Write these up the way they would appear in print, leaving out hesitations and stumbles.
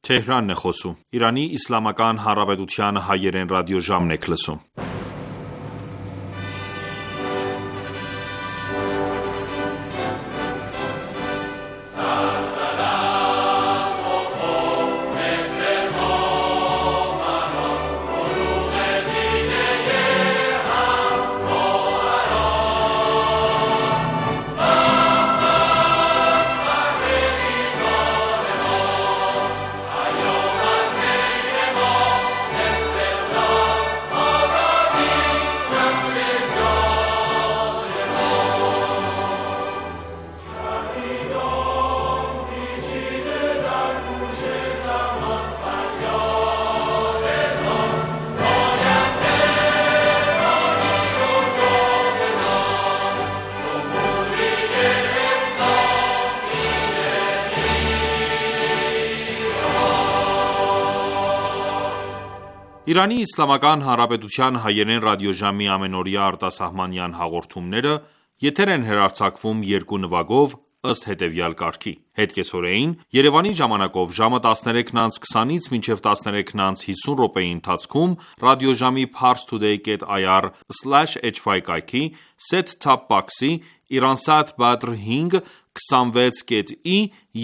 Թեհրանն է խոսում։ Իրանի Իսլամական Հանրապետության հայերեն ռադիոժամն եք լսում։ Իրանի Իսլամական Հանրապետության հայերեն ռադիոժամի ամենօրյա արտասահմանյան հաղորդումները եթեր են հեռարձակվում երկու նվագով ըստ հետևյալ կարգի: Հետկեսօրեին Երևանի ժամանակով ժամը 13:20-ից մինչև 13:50 րոպեի ընթացքում ռադիոժամի parstoday.ir/hy կայքի set-top box-ի Iransat Badr 5 26.i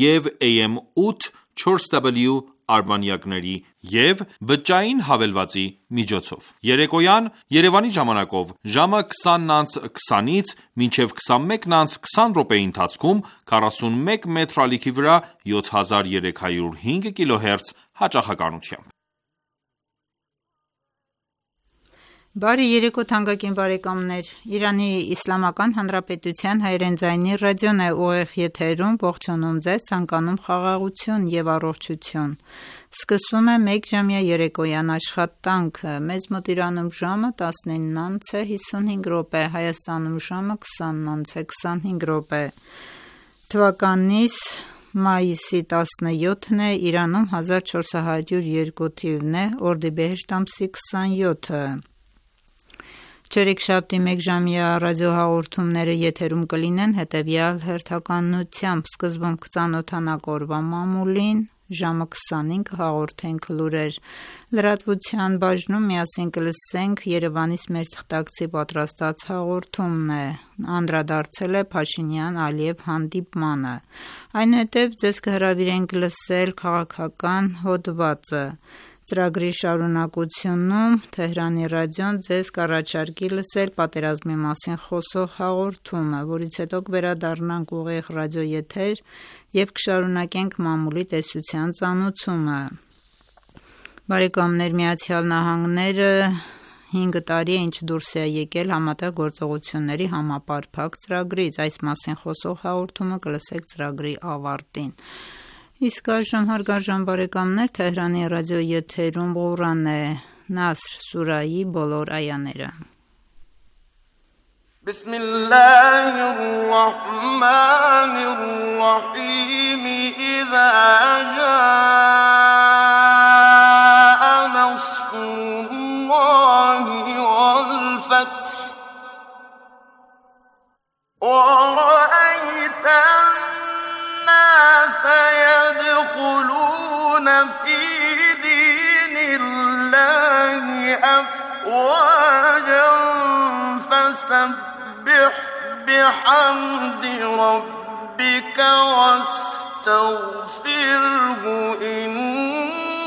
և AM 8 4W արբանյակների և բջջային հավելվածի միջոցով: Երեկոյան Երևանի ժամանակով ժամը 20:20-ից մինչև 21:20 րոպեի ընթացքում 41 մետր ալիքի վրա 7305 կիլոհերց հաճախականությամբ: Բարի երեկո թանկագին բարեկամներ: Իրանի Իսլամական Հանրապետության հայերեն ձայնի ռադիոն է ուղիղ եթերում ողջունում ձեզ, ցանկանում խաղաղություն և առողջություն: Սկսվում է մեկժամյա երեկոյան աշխատանքը: Մեզ մոտ Իրանում ժամը 19:55, Հայաստանում ժամը 20:25: Թվականիս մայիսի 17-ն է, Իրանում 1402 թիվն է, օրդիբեհեշտ ամսի 27-ը: Չորեքշաբթի մեկժամյա ռադիոհաղորդումները եթերում կլինեն հետևյալ հերթականությամբ: Սկզբում կծանոթանանք օրվա մամուլին, ժամը 20-ին կհաղորդենք լուրեր: Լրատվության բաժնում միասին կլսենք Երևանից մեր թղթակցի պատրաստած հաղորդումն է: Անդրադարձել է Փաշինյան-Ալիև հանդիպմանը: Այնուհետև ձեզ կհրավիրենք լսել քաղաքական հոդվածը: Ծրագրի շարունակությունում Թեհրանի ռադիոն ձեզ կառաջարկի լսել պատերազմի մասին խոսող հաղորդումը, որից հետո կվերադառնանք ուղիղ ռադիոեթեր և կշարունակենք մամուլի տեսության ծանոթումը: ԱՄՆ-ը 5 տարի է ինչ դուրս է եկել Համատեղ գործողությունների համապարփակ ծրագրից: Այս մասին խոսող հաղորդումը կլսեք ծրագրի ավարտին: Իսկ այժմ հարգարժան բարեկամներ Թեհրանի ռադիոեթերում Ղուրանն է, Նասր սուրահի բոլոր այաները: إذا جاء نصر الله والفتح ورأيت الناس يدخلون في دين الله أفواجا فسبح بحمد ربك واستغفره إنه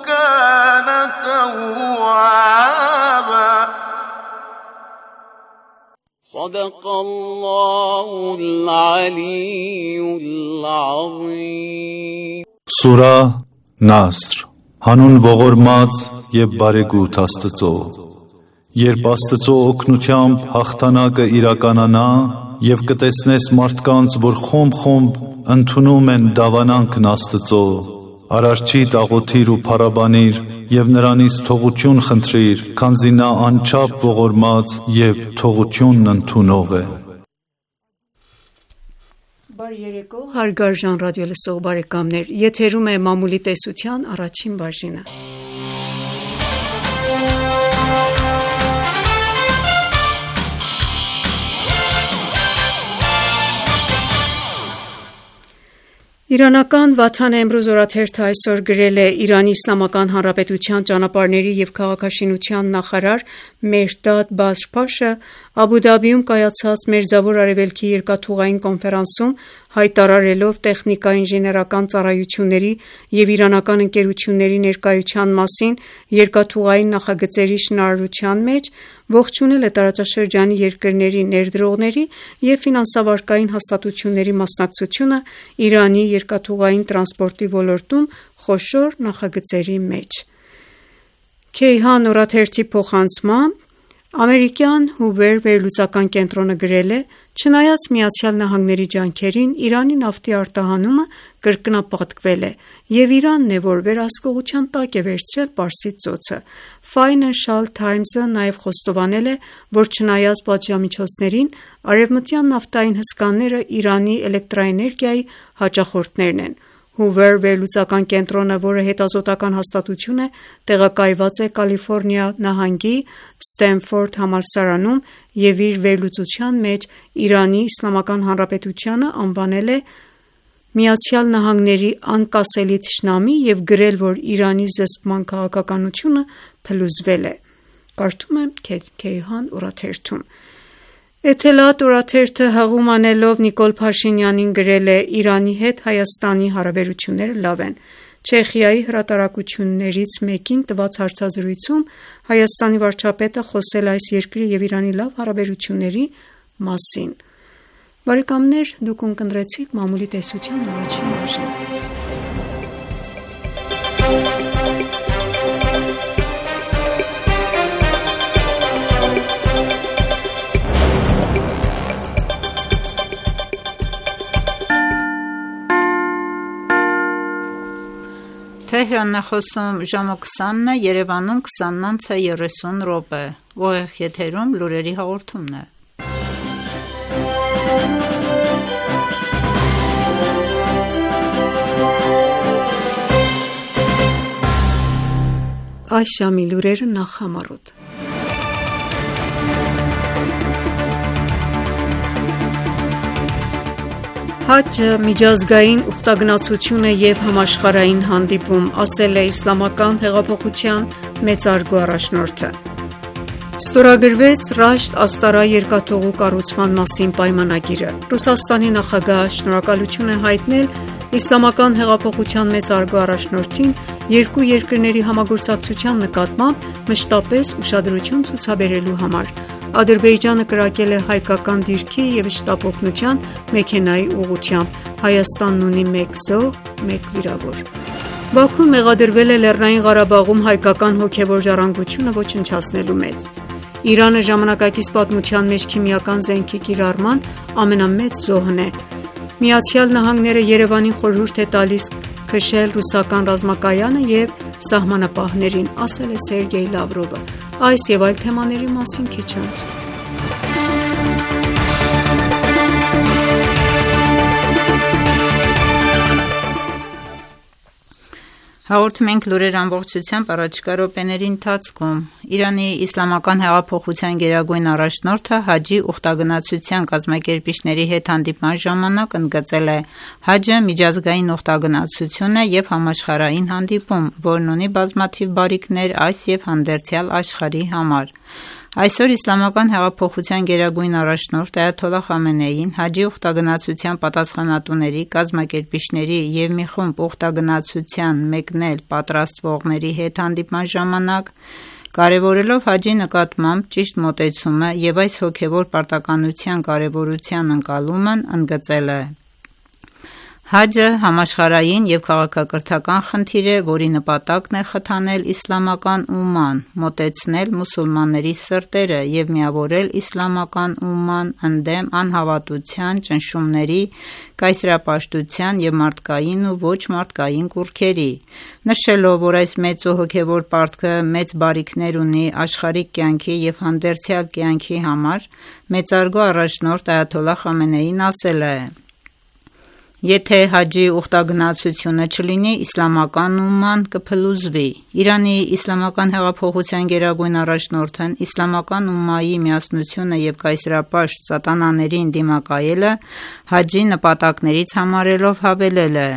كان توابا صدق الله العلي العظيم Սուրա Նասր Հանուն ողորմած և բարեգութ Աստծո: Երբ Աստծո օգնությամբ հաղթանակը իրականանա և կտեսնես մարդկանց, որ խումբ-խումբ ընդունում են դավանանքն Աստծո, Արարչի աղոթիր ու փառաբանիր և նրանից թողություն խնդրիր, քանզի նա անչափ ողորմած և թողությունն ընդունող է: Բարի երեկո հարգարժան ռադիոլսող բարեկամներ, եթերում է մամուլի տեսության առաջին բաժինը: Իրանական Վաթան Էմրուզ օրաթերթը այսօր գրել է Իրանի Իսլամական Հանրապետության ճանապարհների և քաղաքաշինության նախարար Մեհրդադ Բազրփաշը Աբու Դաբիում կայացած Մերձավոր Արևելքի երկաթուղային կոնֆերանսում հայտարարելով տեխնիկա-ինժեներական ծառայությունների և իրանական ընկերությունների ներկայության մասին երկաթուղային նախագծերի շինարարության մեջ, ողջունել է տարածաշրջանի երկրների ներդրողների և ֆինանսավարկային հաստատությունների մասնակցությունը Իրանի երկաթուղային տրանսպորտի ոլորտում խոշոր նախագծերի մեջ։ Քեյհան օրաթերթի փոխանցմամբ ամերիկյան Հուվեր վերլուծական կենտրոնը գրել է. «Չնայած ԱՄՆ-ի ջանքերին, Իրանի նավթի արտահանումը կրկնապատկվել է, և Իրանն է, որ վերահսկողության տակ է վերցրել Պարսից ծոցը»։ Financial Times-ը նաև խոստովանել է, որ չնայած պատժամիջոցներին, արևմտյան նավթային հսկաները Իրանի էլեկտրաէներգիայի հաճախորդներն են։ Հուվեր վերլուծական կենտրոնը, որը հետազոտական հաստատություն է, տեղակայված է Կալիֆորնիա նահանգի Սթենֆորդ համալսարանում և իր վերլուծության մեջ Իրանի Իսլամական Հանրապետությանը անվանել է ԱՄՆ-ի անկասելի թշնամի և գրել, որ Իրանի զսպման քաղաքականությունը փլուզվել է։ Կարդում եմ Քեյհան օրաթերթում։ Էթելադ օրաթերթը հղում անելով Նիկոլ Փաշինյանին գրել է. «Իրանի հետ Հայաստանի հարաբերությունները լավ են»։ Չեխիայի հրատարակություններից մեկին տված հարցազրույցում Հայաստանի վարչապետը խոսել է այս երկրի և Իրանի լավ հարաբերությունների մասին։ Բարեկամներ, դուք ունկնդրեցիք մամուլի տեսության առաջին բաժինը։ Թեհրանն է խոսում ժամը 20-ն է, Երևանում 20:30 ուղիղ եթերում լուրերի հաղորդումն է։ Այս ժամի լուրերը նախ համառոտ։ Հաջը միջազգային ուխտագնացություն է և համաշխարհային հանդիպում, ասել է Իսլամական հեղափոխության մեծարգո առաջնորդը։ Ստորագրվեց Ռաշտ Աստարա երկաթուղու կառուցման մասին պայմանագիրը։ Ռուսաստանի նախագահը շնորհակալություն է հայտնել Իսլամական հեղափոխության մեծարգո առաջնորդին երկու երկրների համագործակցության նկատմամբ մշտապես ուշադրություն ցուցաբերելու համար։ Ադրբեջանը կրակել է հայկական դիրքի և շտապօգնության մեքենայի ուղղությամբ։ Հայաստանն ունի 1 զոհ, 1 վիրավոր։ Բաքուն մեղադրվել է Լեռնային Ղարաբաղում հայկական հոգևոր ժառանգությունը ոչնչացնելու մեջ։ Իրանը ժամանակակից պատմության մեջ քիմիական զենքի կիրառման ամենամեծ զոհն է։ ԱՄՆ-ը Երևանին խորհուրդ է տալիս քշել ռուսական ռազմակայանը և սահմանապահներին, ասել է Սերգեյ Լավրովը։ Այս և այլ թեմաների մասին քիչ անց։ Հաղորդում ենք լուրեր ամբողջությամբ առաջիկա րոպեների ընթացքում։ Իրանի Իսլամական հեղափոխության գերագույն առաջնորդը հաջի ուխտագնացության կազմակերպիչների հետ հանդիպման ժամանակ ընդգծել է. «Հաջը միջազգային ուխտագնացություն է և համաշխարհային հանդիպում, որն ունի բազմաթիվ բարիքներ այս և հանդերձյալ աշխարհի համար»։ Այսօր Իսլամական հեղափոխության գերագույն առաջնորդ Այաթոլլահ Խամենեին հաջի ուխտագնացության պատասխանատուների, կազմակերպիչների և մի խումբ ուխտագնացության մեկնել պատրաստվողների հետ հանդիպման ժամանակ, կարևորելով հաջի նկատմամբ ճիշտ մոտեցումը և այս հոգևոր պարտականության կարևորության ընկալումն, ընդգծել է. «Հաջը համաշխարհային և քաղաքակրթական խնդիր է, որի նպատակն է խթանել իսլամական ումման, մոտեցնել մուսուլմանների սրտերը և միավորել իսլամական ումման ընդդեմ անհավատության, ճնշումների, կայսերապաշտության և մարդկային ու ոչ մարդկային կուռքերի»։ Նշելով, որ այս մեծ ու հոգևոր պարտքը մեծ բարիքներ ունի աշխարհիկ կյանքի և հանդերձյալ կյանքի համար, մեծարգո առաջնորդ Այաթոլլահ Խամենեին ասել է. Եթե հաջի ուխտագնացությունը չլինի, իսլամական ումման կփլուզվի։ Իրանի իսլամական հեղափոխության գերագույն առաջնորդն իսլամական ումմայի միասնությունը և կայսերապաշտ սատանաներին դիմակայելը հաջի նպատակներից համարելով հավելել է.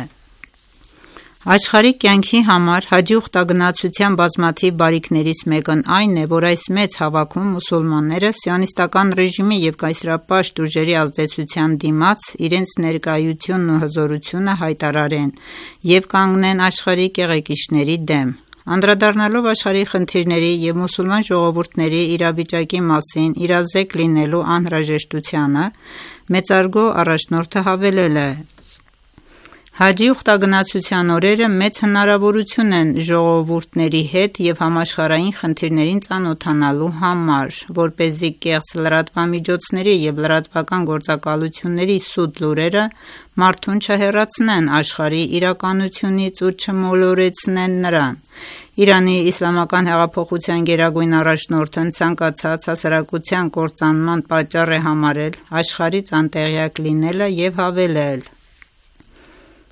Աշխարհիկ կյանքի համար հաջի ուխտագնացության բազմաթիվ բարիքներից մեկն այն է, որ այս մեծ հավաքում մուսուլմանները սիոնիստական ռեժիմի և կայսերապաշտ ուժերի ազդեցության դիմաց իրենց ներկայությունն ու հզորությունը հայտարարեն և կանգնեն աշխարհի կեղեքիչների դեմ։ Անդրադառնալով աշխարհի խնդիրների և մուսուլման ժողովուրդների իրավիճակի մասին իրազեկ լինելու անհրաժեշտությանը, մեծարգո առաջնորդը հավելել է. Հաջի ուխտագնացության օրերը մեծ հնարավորություն են ժողովուրդների հետ և համաշխարհային խնդիրներին ծանոթանալու համար, որպեսզի կեղծ լրատվամիջոցների և լրատվական գործակալությունների սուտ լուրերը մարդուն չհեռացնեն աշխարհի իրականությունից ու չմոլորեցնեն նրան։ Իրանի իսլամական հեղափոխության գերագույն առաջնորդն ցանկացած հասարակության կործանման պատճառ է համարել աշխարհից անտեղյակ լինելը և հավելել.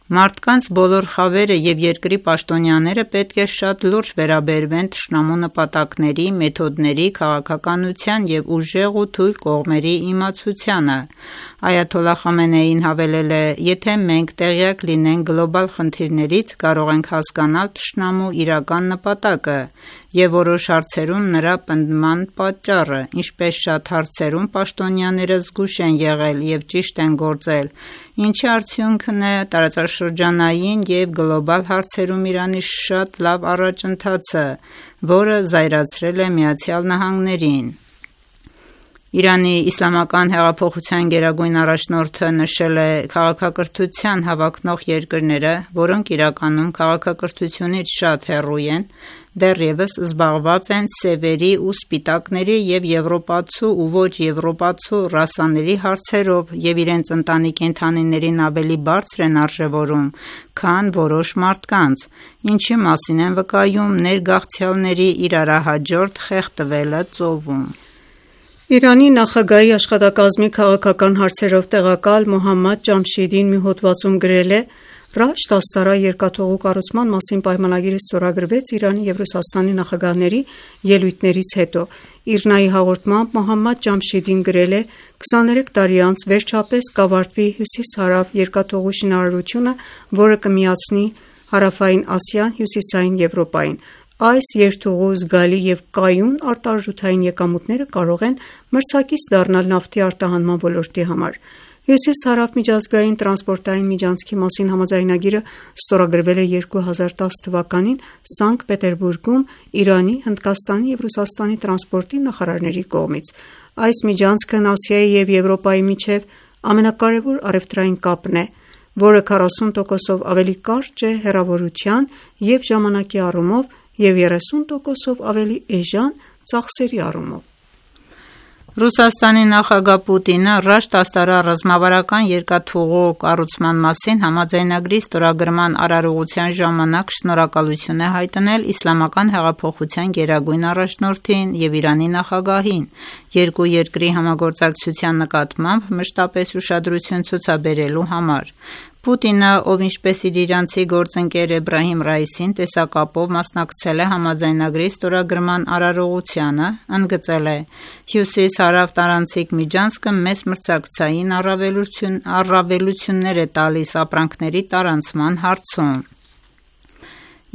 Մարդկանց բոլոր խավերը և երկրի պաշտոնյաները պետք է շատ լուրջ վերաբերվեն թշնամու նպատակների, մեթոդների, քաղաքականության և ուժեղ ու թույլ կողմերի իմացությանը։ Այաթոլլահ Խամենեին հավելել է. Եթե մենք տեղյակ լինենք գլոբալ խնդիրներից, կարող ենք հասկանալ թշնամու իրական նպատակը և որոշ հարցերում նրա պնդման պատճառը, ինչպես շատ հարցերում պաշտոնյաները զգույշ են եղել և ճիշտ են գործել, ինչի արդյունքն է տարածաշրջանային և գլոբալ հարցերում Իրանի շատ լավ առաջընթացը, որը զայրացրել է ԱՄՆ-ին։ Իրանի իսլամական հեղափոխության գերագույն առաջնորդը նշել է քաղաքակրթության հավակնող երկրները, որոնք իրականում քաղաքակրթությունից շատ հեռու են, դեռևս զբաղված են սևերի ու սպիտակների և եվրոպացու ու ոչ եվրոպացու ռասաների հարցերով և իրենց ընտանի կենդանիներին ավելի բարձր են արժևորում, քան որոշ մարդկանց, ինչի մասին են վկայում ներգաղթյալների իրարահաջորդ խեղդվելը ծովում։ Իրանի նախագահի աշխատակազմի քաղաքական հարցերով տեղակալ Մոհամմադ Ջամշիդին մի հոդվածում գրել է. Ռաշտ աստարա երկաթուղու կառուցման մասին պայմանագիրը ստորագրվեց Իրանի և Ռուսաստանի նախագահների ելույթներից հետո։ ԻՌՆԱ-ի հաղորդմամբ Մոհամմադ Ջամշիդին գրել է. 23 տարի անց վերջապես կավարտվի Հյուսիս-Հարավ երկաթուղու շինարարությունը, որը կմիացնի Հարավային Ասիան Հյուսիսային Եվրոպային։ Այս երթուղու զգալի և կայուն արտարժութային եկամուտները կարող են մրցակից դառնալ նավթի արտահանման ոլորտի համար։ Հյուսիս-Հարավ միջազգային տրանսպորտային միջանցքի մասին համաձայնագիրը ստորագրվել է 2010 թվականին Սանկտ Պետերբուրգում Իրանի, Հնդկաստանի և Ռուսաստանի տրանսպորտի նախարարների կողմից։ Այս միջանցքն Ասիայի և Եվրոպայի միջև ամենակարևոր առևտրային կապն է, որը 40%-ով ավելի կարճ է հեռավորության և ժամանակի առումով և 30%-ով ավելի էժան ծախսերի առումով։ Ռուսաստանի նախագահ Պուտինը Ռաշտ աստարա ռազմավարական երկաթուղու կառուցման մասին համաձայնագրի ստորագրման արարողության ժամանակ շնորհակալություն է հայտնել Իսլամական հեղափոխության գերագույն առաջնորդին և Իրանի նախագահին, երկու երկրի համագործակցության նկատմամբ մշտապես ուշադրություն ցուցաբերելու համար։ Պուտինը, ով ինչպես իր իրանցի գործընկեր Էբրահիմ Ռայիսին տեսակապով մասնակցել է համաձայնագրի ստորագրման արարողությանը, ընդգծել է. Հյուսիս-Հարավ տարանցիկ միջանցքը մեծ մրցակցային առավելություններ է տալիս ապրանքների տարանցման հարցում։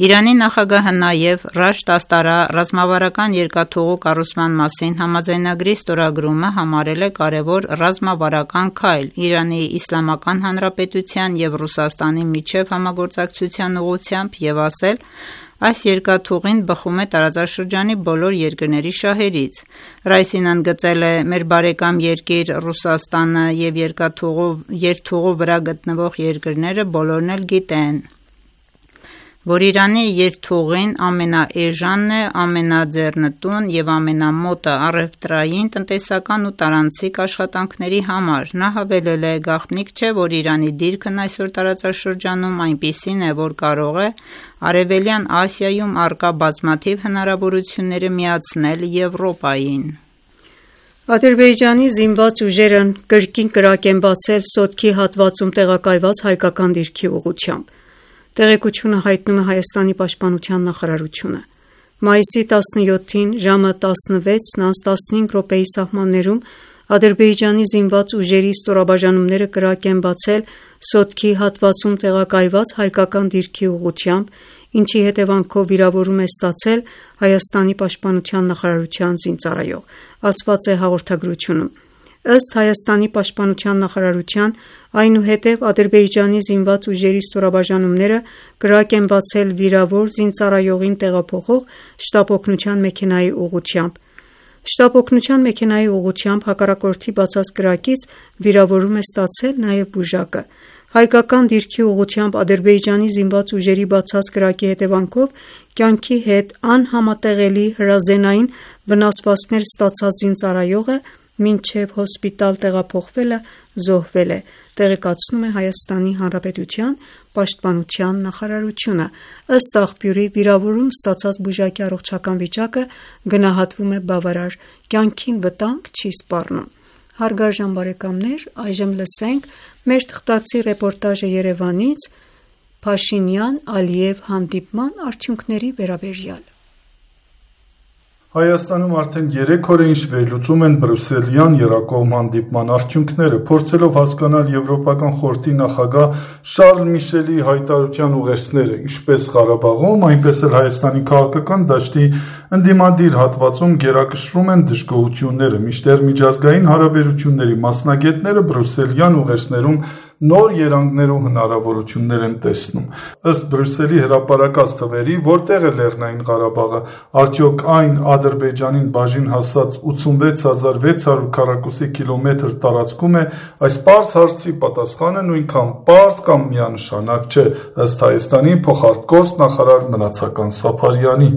Իրանի նախագահը նաև Ռաշտ աստարա ռազմավարական երկաթուղու կառուցման մասին համաձայնագրի ստորագրումը համարել է կարևոր ռազմավարական քայլ Իրանի Իսլամական Հանրապետության և Ռուսաստանի միջև համագործակցության ուղղությամբ և ասել. Այս երկաթուղին բխում է տարածաշրջանի բոլոր երկրների շահերից։ Ռայիսին ընդգծել է. Մեր բարեկամ երկիր Ռուսաստանը և երթուղու վրա գտնվող երկրները բոլորն էլ գիտեն, որ Իրանի երթուղին ամենաէժանն է, ամենաձեռնտուն և ամենամոտը առևտրային, տնտեսական ու տարանցիկ աշխատանքների համար։ Նա հավելել է. Գաղտնիք չէ, որ Իրանի դիրքն այսօր տարածաշրջանում այնպիսին է, որ կարող է Արևելյան Ասիայում առկա բազմաթիվ հնարավորությունները միացնել Եվրոպային։ Ադրբեջանի զինված ուժերն կրկին կրակ են բացել Սոտքի հատվածում տեղակայված հայկական դիրքի ուղղությամբ։ Տեղեկությունը հայտնում է Հայաստանի պաշտպանության նախարարությունը։ Մայիսի 17-ին ժամը 16:15 սահմաններում Ադրբեջանի զինված ուժերի ստորաբաժանումները կրակ են բացել Սոտքի հատվածում տեղակայված հայկական դիրքի ուղղությամբ, ինչի հետևանքով վիրավորում է ստացել Հայաստանի պաշտպանության նախարարության զինծառայող, ասված է հաղորդագրությունում։ Ըստ Հայաստանի պաշտպանության նախարարության, այնուհետև Ադրբեջանի զինված ուժերի ստորաբաժանումները կրակ են բացել վիրավոր զինծառայողին տեղափոխող շտապօգնության մեքենայի ուղղությամբ։ Շտապօգնության մեքենայի ուղղությամբ հակառակորդի բացած կրակից վիրավորում է ստացել նաև բուժակը։ Հայկական դիրքի ուղղությամբ Ադրբեջանի զինված ուժերի բացած կրակի հետևանքով կյանքի հետ անհամատեղելի հրազենային վնասվածքներ ստացած զինծառայողը մինչև հոսպիտալ տեղափոխվելը զոհվել է, տեղեկացնում է Հայաստանի Հանրապետության պաշտպանության նախարարությունը։ Ըստ աղբյուրի, վիրավորում ստացած բուժակի առողջական վիճակը գնահատվում է բավարար, կյանքին վտանգ չի սպառնում։ Հարգարժան բարեկամներ, այժմ լսենք մեր թղթակցի ռեպորտաժը Երևանից Փաշինյան-Ալիև հանդիպման արդյունքների վերաբերյալ։ Հայաստանում արդեն 3 օր է ինչ վերլուծում են բրյուսելյան եռակողմ հանդիպման արդյունքները, փորձելով հասկանալ Եվրոպական խորհրդի նախագահ Շարլ Միշելի հայտարարության ուղերձները, ինչպես Ղարաբաղում, այնպես էլ Հայաստանի քաղաքական դաշտի ընդդիմադիր հատվածում գերակշռում են դժգոհությունները, մինչդեռ միջազգային հարաբերությունների մասնագետները բրյուսելյան ուղերձներում նոր երանգներ ու հնարավորություններ են տեսնում։ Ըստ Բրյուսելի հրապարակած թվերի, որտեղ է Լեռնային Ղարաբաղը, արդյոք այն Ադրբեջանին բաժին հասած 86,600 քառակուսի կիլոմետր տարածքում է, այս պարզ հարցի պատասխանը նույնքան պարզ կամ միանշանակ չէ, ըստ Հայաստանի փոխարտգործ նախարար Մնացական Սափարյանի։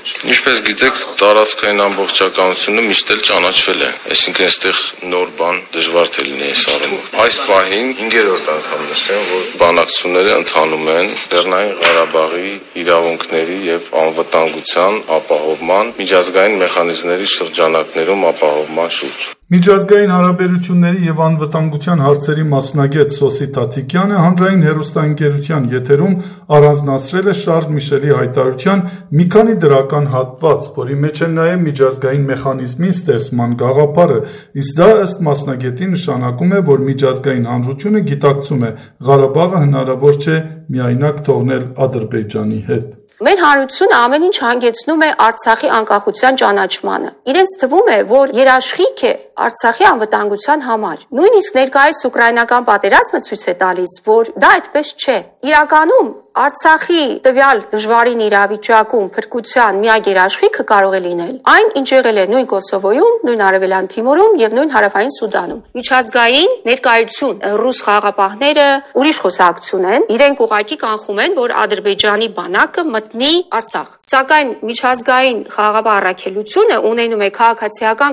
Ինչպես գիտեք, տարածքային ամբողջականությունը միշտ էլ ճանաչվել է, այսինքն այստեղ նոր բան դժվար թե լինի այս առումով։ Այս պահին 5-րդ անգամ նշեմ, որ բանակցությունները ընթանում են Լեռնային Ղարաբաղի իրավունքների եւ անվտանգության ապահովման միջազգային մեխանիզմների շրջանակներում ապահովման շուրջ։ Միջազգային հարաբերությունների եւ անվտանգության հարցերի մասնագետ Սոսի Թաթիկյանը հանրային հեռուստաընկերության եթերում առանձնացրել է Շարլ Միշելի հայտարարության մի քանի դրական հատված, որի մեջ է նաեւ միջազգային մեխանիզմի ստեղծման գաղափարը, իսկ դա ըստ մասնագետի նշանակում է, որ միջազգային հանրությունը գիտակցում է Ղարաբաղը հնարավոր չէ միայնակ թողնել Ադրբեջանի հետ։ Մեր հանրությունը ամեն ինչ հանգեցնում է Արցախի անկախության ճանաչմանը։ Իրենց թվում է, որ երաշխիք է Արցախի անվտանգության համար։ Նույնիսկ ներկայիս ուկրաինական պատերազմը ցույց է տալիս, որ դա այդպես չէ։ Իրականում Արցախի տվյալ դժվարին իրավիճակում փրկության միակ երաշխիքը կարող է լինել այն, ինչ եղել է նույն Կոսովոյում, նույն Արևելյան Թիմորում եւ նույն Հարավային Սուդանում։ Միջազգային ներկայություն ռուս խաղաղապահները ուրիշ խոսակցություն են, իրենք ուղղակի կանխում են, որ Ադրբեջանի բանակը մտնի Արցախ։ Սակայն միջազգային խաղաղապահ առաքելությունը ունենում է քաղաքացիական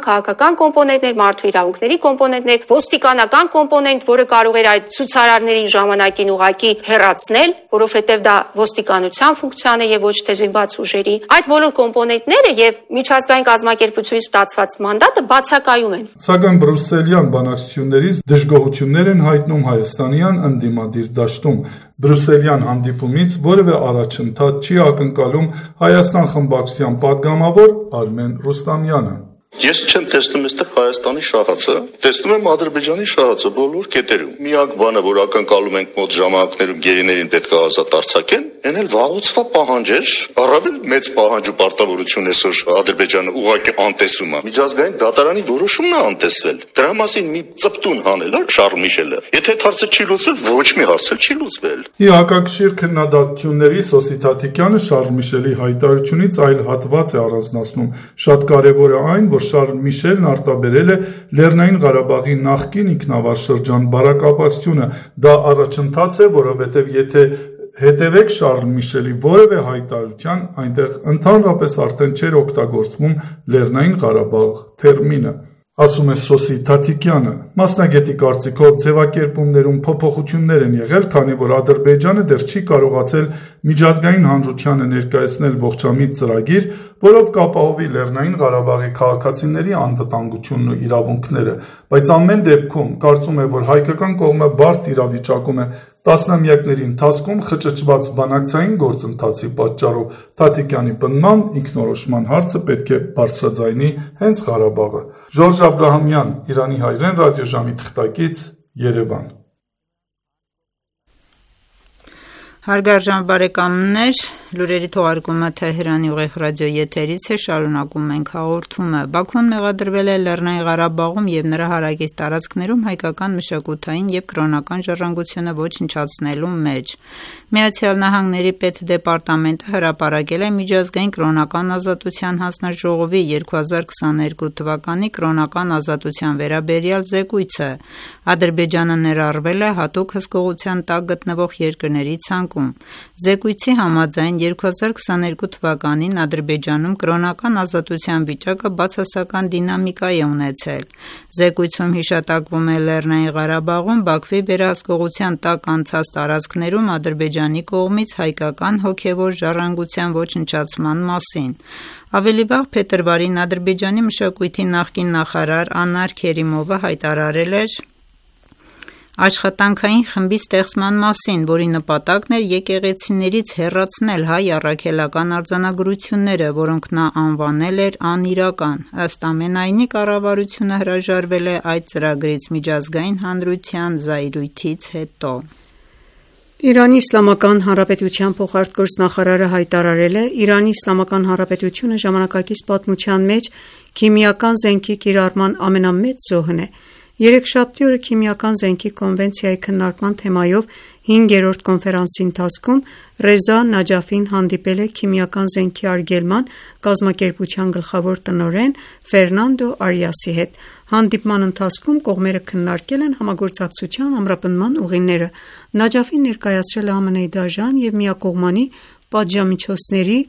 կոմպոնենտներ, մարդու իրավունքների կոմպոնենտներ, ոստիկանական կոմպոնենտ, որը կարող էր այդ ցուցարարներին ժամանակին ուղղակի հեռացնել, որովհետեւ դա ոստիկանության ֆունկցիան է եւ ոչ թե զինված ուժերի։ Այդ բոլոր կոմպոնենտները եւ միջազգային կազմակերպությունից ստացված մանդատը բացակայում են։ Սակայն բրյուսելյան բանակցություններից դժգոհություններ են հայտնում հայաստանյան ընդդիմադիր դաշտում։ Բրյուսելյան հանդիպումից որևէ առաջընթաց չի ակնկալում Հայաստան խմբակցության падգամավոր Արմեն Ռուստամյանը։ Ես չեմ տեսնում այստեղ Հայաստանի շահացը, տեսնում եմ Ադրբեջանի շահացը բոլոր կետերում։ Միակ բանը, որ ակնկալում ենք մոտ ժամանակներում գերիներին պետք է ազատ արձակեն, այն էլ վաղուցվա պահանջ էր, առավել մեծ պահանջ ու պարտավորություն այսօր Ադրբեջանը ուղղակի անտեսում է։ Միջազգային դատարանի որոշումն է անտեսվել։ Դրա մասին մի ծպտուն հանել է Շարլ Միշելը։ Եթե այդ հարցը չի լուծվել, ոչ մի հարց չի լուծվել։ Հակակշիռ քննադատությունների Սոսի Թաթիկյանը Շարլ Միշելի հայտարարությունից այլ հատված է առանձնացնում։ Շատ կարևոր է այն, որ Շարլ Միշելն արտաբերել է Լեռնային Ղարաբաղի նախկին ինքնավար շրջան բարակապակցությունը։ Դա առաջընթաց է, որովհետև եթե հետևեք Շարլ Միշելի որևէ հայտարարության, այնտեղ ընդհանրապես արդեն չէր օգտագործվում Լեռնային Ղարաբաղ թերմինը։ ասում է Սոսի Թաթիկյանը։ Մասնագետի կարծիքով ձևակերպումներում փոփոխություններ են եղել, քանի որ Ադրբեջանը դեռ չի կարողացել միջազգային հանրությանը ներկայացնել ողջամիտ ծրագիր, որով կապահովի Լեռնային Ղարաբաղի քաղաքացիների անվտանգությունն ու իրավունքները, բայց ամեն դեպքում կարծում է, որ հայկական կողմը բարդ իրավիճակում է տասնամյակների ընթացքում խճճված բանակցային գործընթացի պատճառով։ Թաթիկյանի պնդմամբ ինքնորոշման հարցը պետք է բարձրաձայնի հենց Ղարաբաղը։ Ժորժ Աբրահամյան, Իրանի հայրեն ռադիոժամի թղթակից, Երևան։ Հարգարժան բարեկամներ, լուրերի թողարկումը Թեհրանի ուղիղ ռադիոյի եթերից է, շարունակում ենք հաղորդումը։ Բաքուն մեղադրվել է Լեռնային Ղարաբաղում եւ նրա հարակից տարածքներում հայկական մշակութային եւ կրոնական ժառանգությունը ոչնչացնելու մեջ։ Միացյալ Նահանգների պետդեպարտամենտը հրապարակել է միջազգային կրոնական ազատության հանձնաժողովի 2022 թվականի կրոնական ազատության վերաբերյալ զեկույցը։ Ադրբեջանը ներառվել է հատուկ հսկողության տակ գտնվող երկրների ցանկում։ Զեկույցի համաձայն 2022 թվականին Ադրբեջանում կրոնական ազատության վիճակը բացասական դինամիկա է ունեցել։ Զեկույցում հիշատակվում է Լեռնային Ղարաբաղում Բաքվի վերահսկողության տակ անցած տարածքներում Ադրբեջանի կողմից հայկական հոգևոր ժառանգության ոչնչացման մասին։ Ավելի վաղ փետրվարին Ադրբեջանի մշակույթի նախկին նախարար Անար Քերիմովը հայտարարել էր աշխատանքային խմբի ստեղծման մասին, որի նպատակն էր եկեղեցիներից հեռացնել հայ առաքելական արձանագրությունները, որոնք նա անվանել էր անիրական։ Ըստ ամենայնի, կառավարությունը հրաժարվել է այդ ծրագրից միջազգային հանրության զայրույթից հետո։ Իրանի Իսլամական Հանրապետության փոխարտգործնախարարը հայտարարել է, Իրանի Իսլամական Հանրապետությունը ժամանակակից պատմության մեջ քիմիական զենքի կիրառման ամենամեծ զոհն է։ Երեքշաբթի օրը Քիմիական զենքի կոնվենցիայի քննարկման թեմայով 5-րդ կոնֆերանսի ընթացքում Ռեզա Նաջաֆին հանդիպել է քիմիական զենքի արգելման կազմակերպության գլխավոր տնօրեն Ֆերնանդո Արիասի հետ։ Հանդիպման ընթացքում կողմերը քննարկել են համագործակցության ամրապնդման ուղիները։ Նաջաֆին ներկայացրել է ԱՄՆ-ի դաժան և միակողմանի պատժամիջոցների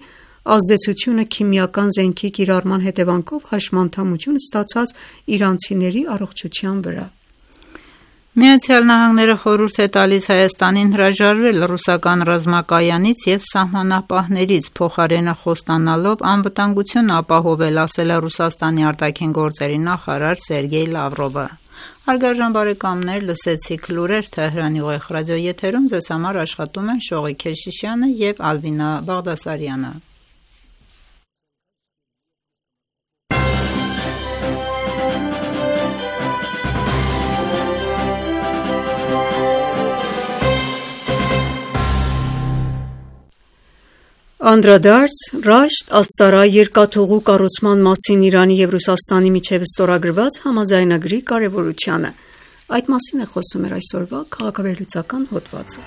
ազդեցությունը քիմիական զենքի կիրառման հետևանքով հաշմանդամություն ստացած իրանցիների առողջության վրա։ Միացյալ Նահանգները խորհուրդ է տալիս Հայաստանին հրաժարվել ռուսական ռազմակայանից և սահմանապահներից, փոխարենը խոստանալով անվտանգություն ապահովել, ասել է Ռուսաստանի արտաքին գործերի նախարար Սերգեյ Լավրովը։ Հարգարժան բարեկամներ, լսեցիք լուրեր Թեհրանի ուղիղ ռադիոյի եթերում, ձեզ համար աշխատում են Շողիկ Քեշիշյանը և Ալվինա Բաղդասարյանը։ Անդրադարձ Ռաշտ Աստարա երկաթուղու կառուցման մասին Իրանի և Ռուսաստանի միջև ստորագրված համաձայնագրի կարևորությանը։ Այդ մասին է խոսում մեր այսօրվա քաղաքավերլուծական հոդվածը։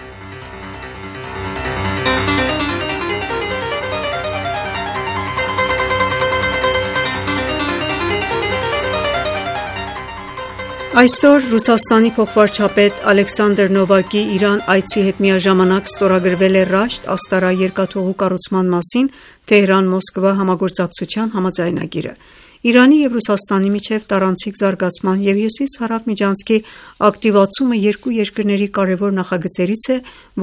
Այսօր Ռուսաստանի փոխվարչապետ Ալեքսանդր Նովակի Իրան այցի հետ միաժամանակ ստորագրվել է Ռաշտ Աստարա երկաթուղու կառուցման մասին Թեհրան-Մոսկվա համագործակցության համաձայնագիրը։ Իրանի և Ռուսաստանի միջև տարանցիկ զարգացման և հյուսիս-հարավ միջանցքի ակտիվացումը երկու երկրների կարևոր նախագծերից է,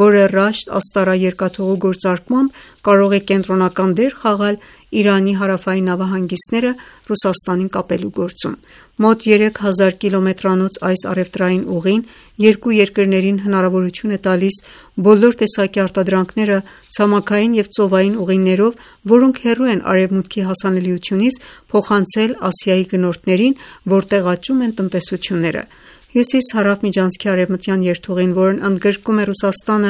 որը Ռաշտ Աստարա երկաթուղու գործարկմամբ կարող է կենտրոնական դեր խաղալ Իրանի հարավային նավահանգիստները Ռուսաստանին կապելու գործում։ Մոտ 3000 կիլոմետրանոց այս առևտրային ուղին երկու երկրներին հնարավորություն է տալիս բոլոր տեսակի արտադրանքները ցամաքային և ծովային ուղիներով, որոնք հեռու են արևմուտքի հասանելիությունից, փոխանցել Ասիայի գնորդներին, որտեղ աճում են տնտեսությունները։ Հյուսիս-հարավ միջանցքի արևմտյան երթուղին, որն ընդգրկում է Ռուսաստանը,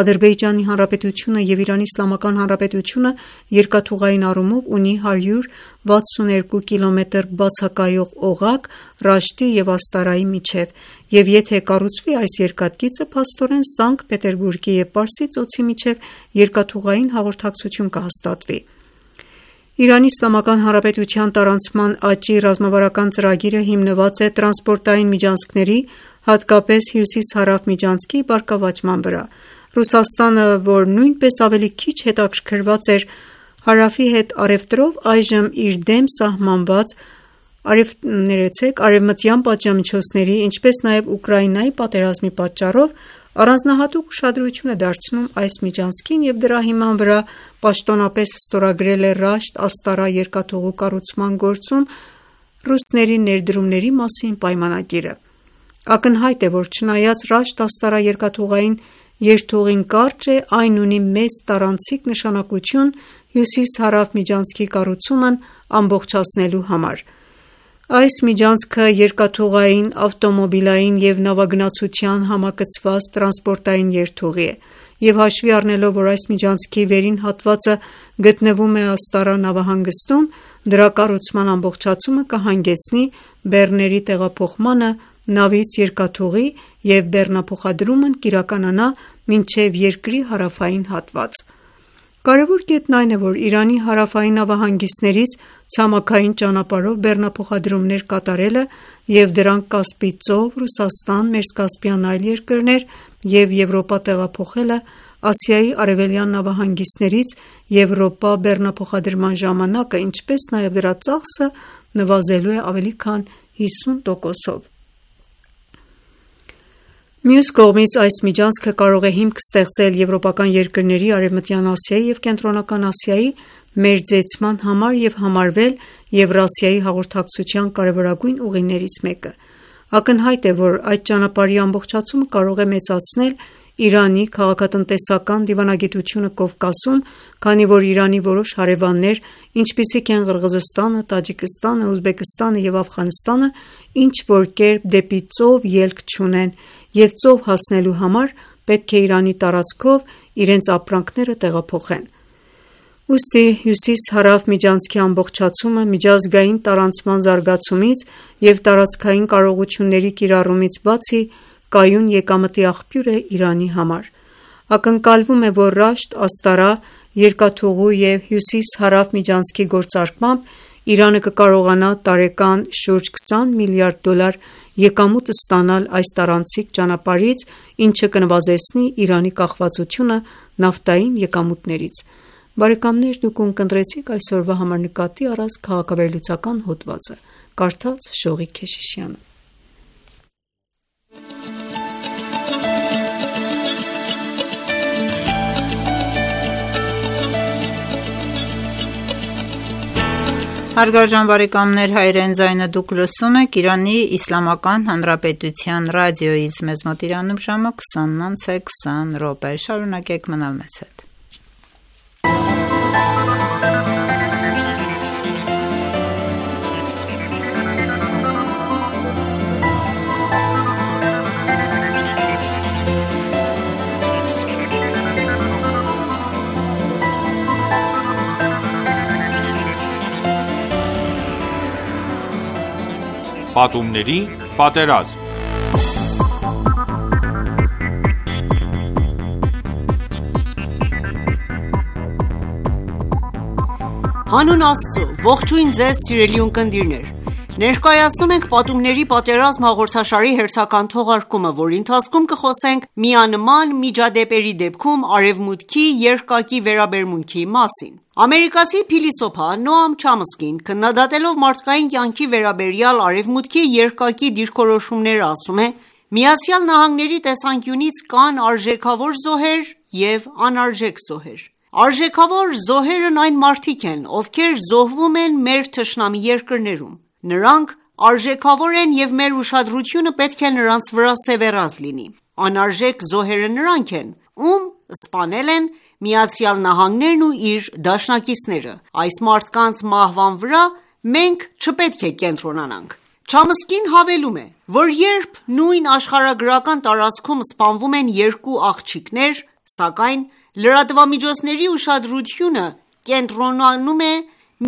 Ադրբեջանի Հանրապետությունը և Իրանի Իսլամական Հանրապետությունը, երկաթուղային առումով ունի 162 կիլոմետր բացակայող օղակ Ռաշտի և Աստարայի միջև, և եթե կառուցվի այս երկաթգիծը, փաստորեն Սանկտ Պետերբուրգի և Պարսից ծոցի միջև երկաթուղային հաղորդակցություն կհաստատվի։ Իրանի Իսլամական Հանրապետության տարանցման աճի ռազմավարական ծրագիրը հիմնված է տրանսպորտային միջանցքների, հատկապես հյուսիս-հարավ միջանցքի բարգավաճման վրա։ Ռուսաստանը, որ նույնպես ավելի քիչ հետաքրքրված էր հարավի հետ առևտրով, այժմ իր դեմ սահմանված արևմտյան պատժամիջոցների, ինչպես նաև Ուկրաինայի պատերազմի պատճառով առանձնահատուկ ուշադրություն է դարձնում այս միջանցքին և դրա հիման վրա պաշտոնապես ստորագրել է Ռաշտ-Աստարա երկաթուղու կառուցման գործում ռուսների ներդրումների մասին պայմանագիրը։ Ակնհայտ է, որ չնայած Ռաշտ-Աստարա երկաթուղային երթուղին կարճ է, այն ունի մեծ տարանցիկ նշանակություն հյուսիս-հարավ միջանցքի կառուցումն ամբողջացնելու համար։ Այս միջանցքը երկաթուղային, ավտոմոբիլային և նավագնացության համակցված տրանսպորտային երթուղի է, և հաշվի առնելով, որ այս միջանցքի վերին հատվածը գտնվում է Աստարա նավահանգստում, դրա կառուցման ամբողջացումը կհանգեցնի բեռների տեղափոխմանը նավից երկաթուղի և բեռնափոխադրումն կիրականանա մինչև երկրի հարավային հատված։ Կարևոր կետն այն է, որ Իրանի հարավային նավահանգիստներից ցամաքային ճանապարհով բեռնափոխադրումներ կատարելը և դրանք Կասպից ծով, Ռուսաստան, Մերձկասպյան այլ երկրներ և Եվրոպա տեղափոխելը Ասիայի արևելյան նավահանգիստներից Եվրոպա բեռնափոխադրման ժամանակը, ինչպես նաև դրա ծախսը նվազելու է ավելի քան 50%-ով։ Մյուս կողմից, այս միջանցքը կարող է հիմք ստեղծել եվրոպական երկրների Արևմտյան Ասիայի և Կենտրոնական Ասիայի մերձեցման համար և համարվել Եվրասիայի հաղորդակցության կարևորագույն ուղիներից մեկը։ Ակնհայտ է, որ այդ ճանապարհի ամբողջացումը կարող է մեծացնել Իրանի քաղաքատնտեսական դիվանագիտությունը Կովկասում, քանի որ Իրանի որոշ հարևաններ, ինչպիսիք են Ղրղզստանը, Տաջիկստանը, Ուզբեկստանը և Աֆղանստանը, ինչ-որ կերպ դեպի ծով ելք չունեն և ծով հասնելու համար պետք է Իրանի տարածքով իրենց ապրանքները տեղափոխեն։ Ուստի հյուսիս-հարավ միջանցքի ամբողջացումը միջազգային տարանցման զարգացումից և տարածքային կարողությունների կիրառումից բացի կայուն եկամտի աղբյուր է Իրանի համար։ Ակնկալվում է, որ Ռաշտ-Աստարա երկաթուղու և հյուսիս-հարավ միջանցքի գործարկմամբ Իրանը կկարողանա տարեկան շուրջ $20 միլիարդ եկամուտ ստանալ այս տարանցիկ ճանապարհից, ինչը կնվազեցնի Իրանի կախվածությունը նավթային եկամուտներից։ Բարեկամներ, դուք ունկնդրեցիք այսօրվա համար նկատի առած քաղաքավերլուծական հոդվածը։ Կարդաց Շողիկ Քեշիշյանը։ Հարգարժան բարեկամներ, հայրեն ձայնը դուք լսում եք Իրանի Իսլամական Հանրապետության ռադիոյից, մեզ մոտ Իրանում ժամը 20:20, շարունակեք մնալ մեզ հետ։ Պատումների պատերազմ։ Հանուն Աստծո, ողջույն ձեզ սիրելի ունկնդիրներ։ Ներկայացնում ենք «Պատումների պատերազմ» հաղորդաշարի հերթական թողարկումը, որի ընթացքում կխոսենք միանման միջադեպերի դեպքում Արևմուտքի երկակի վերաբերմունքի մասին։ Ամերիկացի փիլիսոփա Նոամ Չամսկին, քննադատելով մարդկային կյանքի վերաբերյալ Արևմուտքի երկակի դիրքորոշումները, ասում է. «ԱՄՆ-ի տեսանկյունից կան արժեքավոր զոհեր և անարժեք զոհեր։ Արժեքավոր զոհերն այն մարդիկ են, ովքեր զոհվում են մեր թշնամի երկրներում։ Նրանք արժեքավոր են և մեր ուշադրությունը պետք է նրանց վրա սևեռած լինի։ Անարժեք զոհերը նրանք են, ում սպանել են ԱՄՆ-ն ու իր դաշնակիցները։ Այս մարդկանց մահվան վրա մենք չպետք է կենտրոնանանք»։ Չամսկին հավելում է, որ երբ նույն աշխարհագրական տարածքում սպանվում են երկու աղջիկներ, սակայն լրատվամիջոցների ուշադրությունը կենտրոնանում է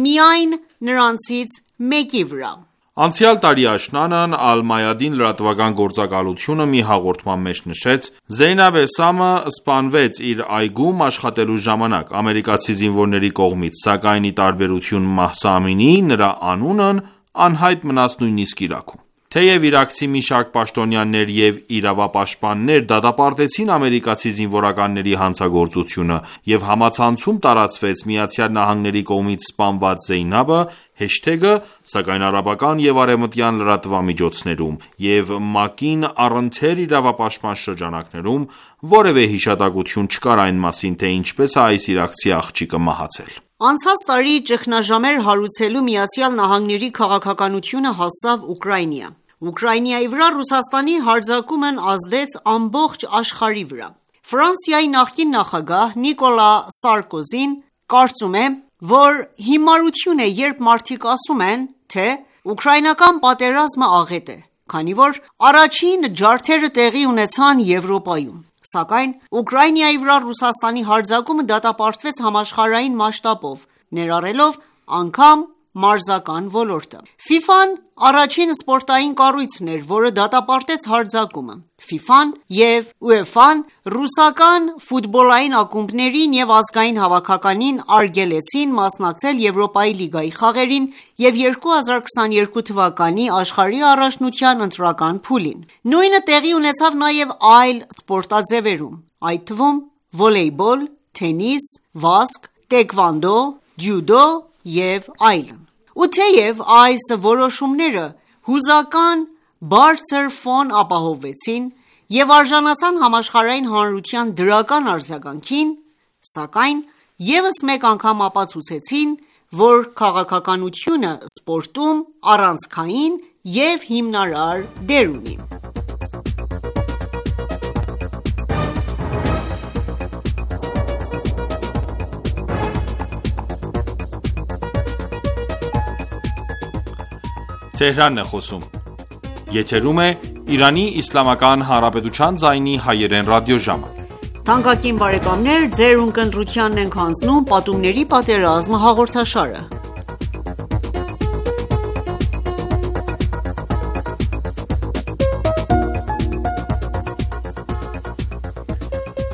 միայն նրանցից մեկի վրա։ Անցյալ տարի աշնանն Ալ-Մայադին լրատվական գործակալությունը մի հաղորդման մեջ նշեց. «Զեյնաբ Էսամը սպանվեց իր այգում աշխատելու ժամանակ, ամերիկացի զինվորների կողմից, սակայն ի տարբերություն Մահսա Ամինիի, նրա անունն անհայտ մնաց նույնիսկ Իրաքում»։ Թեև իրաքցի մի շարք պաշտոնյաներ և իրավապաշտպաններ դատապարտեցին ամերիկացի զինվորականների հանցագործությունը և համացանցում տարածվեց ԱՄՆ-ի կողմից սպանված Զեյնաբը հեշթեգը, սակայն արաբական և արևմտյան լրատվամիջոցներում և ՄԱԿ-ին առընթեր իրավապաշտպան շրջանակներում որևէ հիշատակություն չկար այն մասին, թե ինչպես է այս իրաքցի աղջիկը մահացել: Անցած տարի ճգնաժամեր հարուցելու ԱՄՆ-ի քաղաքականությունը հասավ Ուկրաինա: Ուկրաինայի վրա Ռուսաստանի հարձակումն ազդեց ամբողջ աշխարհի վրա: Ֆրանսիայի նախկին նախագահ Նիկոլա Սարկոզին կարծում է, որ հիմարություն է, երբ մարդիկ ասում են, թե ուկրաինական պատերազմը աղետ է, քանի որ առաջին ջարդերը տեղի ունեցան Եվրոպայում: Սակայն Ուկրաինայի վրա Ռուսաստանի հարձակումը դատապարտվեց համաշխարհային մասշտաբով, ներառելով անգամ մարզական ոլորտը: ՖԻՖԱ-ն առաջին սպորտային կառույցն էր, որը դատապարտեց հարձակումը: ՖԻՖԱ-ն և ՈՒԵՖԱ-ն ռուսական ֆուտբոլային ակումբներին և ազգային հավաքականին արգելեցին մասնակցել Եվրոպայի լիգայի խաղերին և 2022 թվականի աշխարհի առաջնության ընտրական փուլին: Նույնը տեղի ունեցավ նաև այլ սպորտաձևերում, այդ թվում վոլեյբոլ, թենիս, վազք, տեկվանդո, ջյուդո և այլն: Ու թեև այս որոշումները հուզական բարձր ֆոն ապահովեցին և արժանացան համաշխարհային հանրության դրական արձագանքին, սակայն ևս մեկ անգամ ապացուցեցին, որ քաղաքականությունը սպորտում առանցքային և հիմնարար դեր ունի: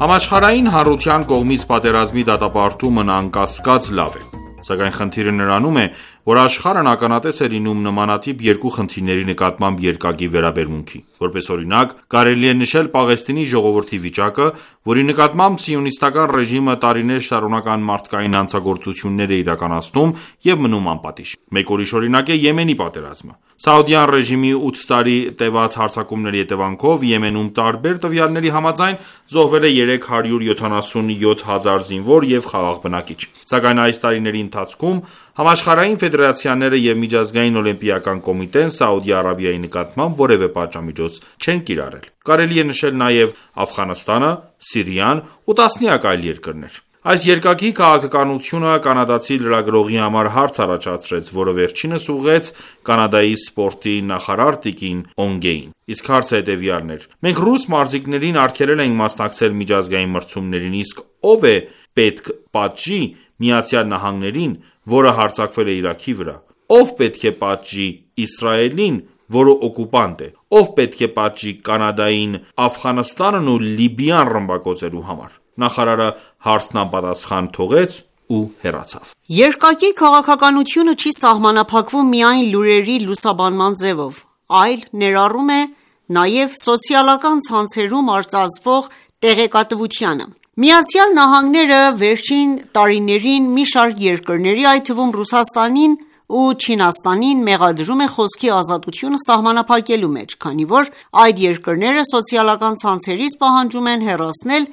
Համաշխարհային հանրության կողմից պատերազմի դատապարտումն անկասկած լավ է: Սակայն խնդիրը նրանում է, որ աշխարհն ականատես է լինում նմանատիպ երկու խնդիրների նկատմամբ երկակի վերաբերմունքի: Որպես օրինակ, կարելի է նշել Պաղեստինի ժողովրդի վիճակը, որի նկատմամբ սիոնիստական ռեժիմը տարիներ շարունակ անմարդկային հանցագործություններ է իրականացնում և մնում անպատիժ: Մեկ ուրիշ օրինակ է Եմենի պատերազմը: Սաուդյան ռեժիմի 8 տարի տևած հարձակումների հետևանքով Եմենում տարբեր տվյալների համաձայն զոհվել է 377 հազար զինվոր և խաղաղ բնակիչ: Սակայն այս տարիների ընթացքում համաշխարհային ֆեդերացիաները և Միջազգային օլիմպիական կոմիտեն Սաուդի Արաբիայի նկատմամբ որևէ պատժամիջոց չեն կիրառել: Կարելի է նշել նաև Աֆղանստանը, Սիրիան ու տասնյակ այլ երկրներ: Այս երկակի քաղաքականությունը կանադացի լրագրողի համար հարց առաջացրեց, որը վերջինս ուղղեց Կանադայի սպորտի նախարար տիկին Օնգեին: Իսկ հարցը հետևյալն էր. մենք ռուս մարզիկներին արգելել ենք մասնակցել միջազգային մրցումներին, իսկ ո՞վ է պետք պատժի ԱՄՆ-ին, որը հարձակվել է Իրաքի վրա: Ո՞վ պետք է պատժի Իսրայելին, որը օկուպանտ է: Ո՞վ պետք է պատժի Կանադային Աֆղանստանն ու Լիբիան ռմբակոծելու համար: Նախարարը հարցն անպատասխան թողեց ու հեռացավ: Երկակի քաղաքականությունը չի սահմանափակվում միայն լուրերի լուսաբանման ձևով, այլ ներառում է նաև սոցիալական ցանցերում արծարծվող տեղեկատվությանը: ԱՄՆ-ը վերջին տարիներին մի շարք երկրների, այդ թվում Ռուսաստանին ու Չինաստանին մեղադրում է խոսքի ազատությունը սահմանափակելու մեջ, քանի որ այդ երկրները սոցիալական ցանցերից պահանջում են հեռացնել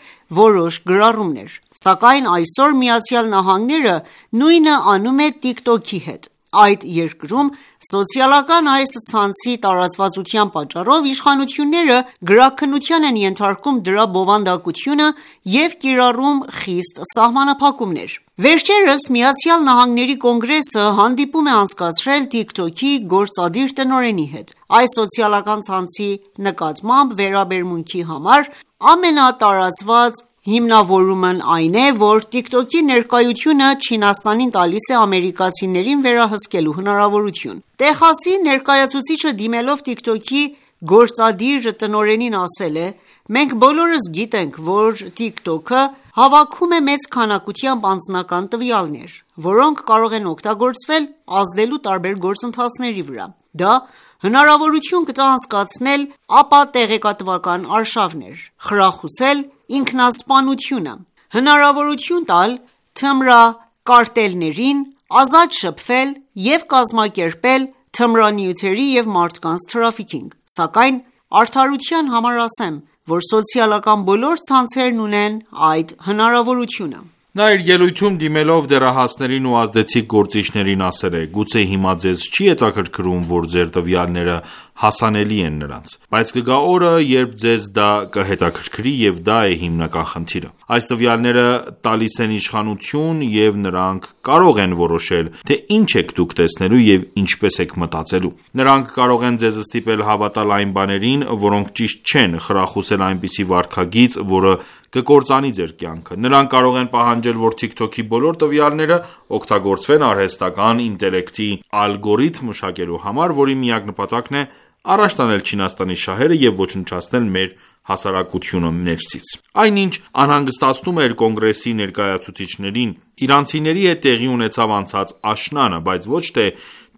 որոշ գրառումներ: Սակայն այսօր ԱՄՆ-ը նույնը անում է TikTok-ի հետ: Այդ երկրում սոցիալական այս ցանցի տարածվածության պատճառով իշխանությունները գրաքննության են ենթարկում դրա բովանդակությունը և կիրառում խիստ սահմանափակումներ: Վերջերս ԱՄՆ Կոնգրեսը հանդիպում է անցկացրել TikTok-ի գործադիր տնօրենի հետ: Այս սոցիալական ցանցի նկատմամբ վերաբերմունքի համար ամենատարածված հիմնավորումն այն է, որ TikTok-ի ներկայությունը Չինաստանին տալիս է ամերիկացիներին վերահսկելու հնարավորություն: Տեխասի ներկայացուցիչը դիմելով TikTok-ի գործադիր տնօրենին ասել է. «Մենք բոլորս գիտենք, որ TikTok-ը հավաքում է մեծ քանակությամբ անձնական տվյալներ, որոնք կարող են օգտագործվել ազդելու տարբեր գործընթացների վրա: Դա հնարավորություն կտա անցկացնել ապատեղեկատվական արշավներ, խրախուսել ինքնասպանությունը, հնարավորություն տալ թմրակարտելներին ազատ շփվել և կազմակերպել թմրանյութերի և մարդկանց թրաֆիքինգ, սակայն արդարության համար ասեմ, որ սոցիալական բոլոր ցանցերն ունեն այդ հնարավորությունը։ Նա իր ելույթում դիմելով դեռահասներին ու ազդեցիկ գործիչներին ասել է. «Գուցե հիմա ձեզ չի հետաքրքրում, որ ձեր տվյալները հասանելի են նրանց, բայց կգա օրը, երբ ձեզ դա կհետաքրքրի և դա է հիմնական խնդիրը։ Այս տվյալները տալիս են իշխանություն և նրանք կարող են որոշել, թե ինչ եք դուք տեսնելու և ինչպես եք մտածելու։ Նրանք կարող են ձեզ ստիպել հավատալ այն բաներին, որոնք ճիշտ չեն, խրախուսել այնպիսի վարքագիծ, որը կկործանի ձեր կյանքը։ Նրանք կարող են պահանջել, որ TikTok-ի բոլոր տվյալները օգտագործվեն արհեստական ինտելեկտի ալգորիթմ մշակելու համար, որի միակ նպատակն է առաջ տանել Չինաստանի շահերը և ոչնչացնել մեր հասարակությունը ներսից։ Այնինչ անհանգստացնում էր կոնգրեսի ներկայացուցիչներին, իրանցիների հետ տեղի ունեցավ անցած աշնանը, բայց ոչ թե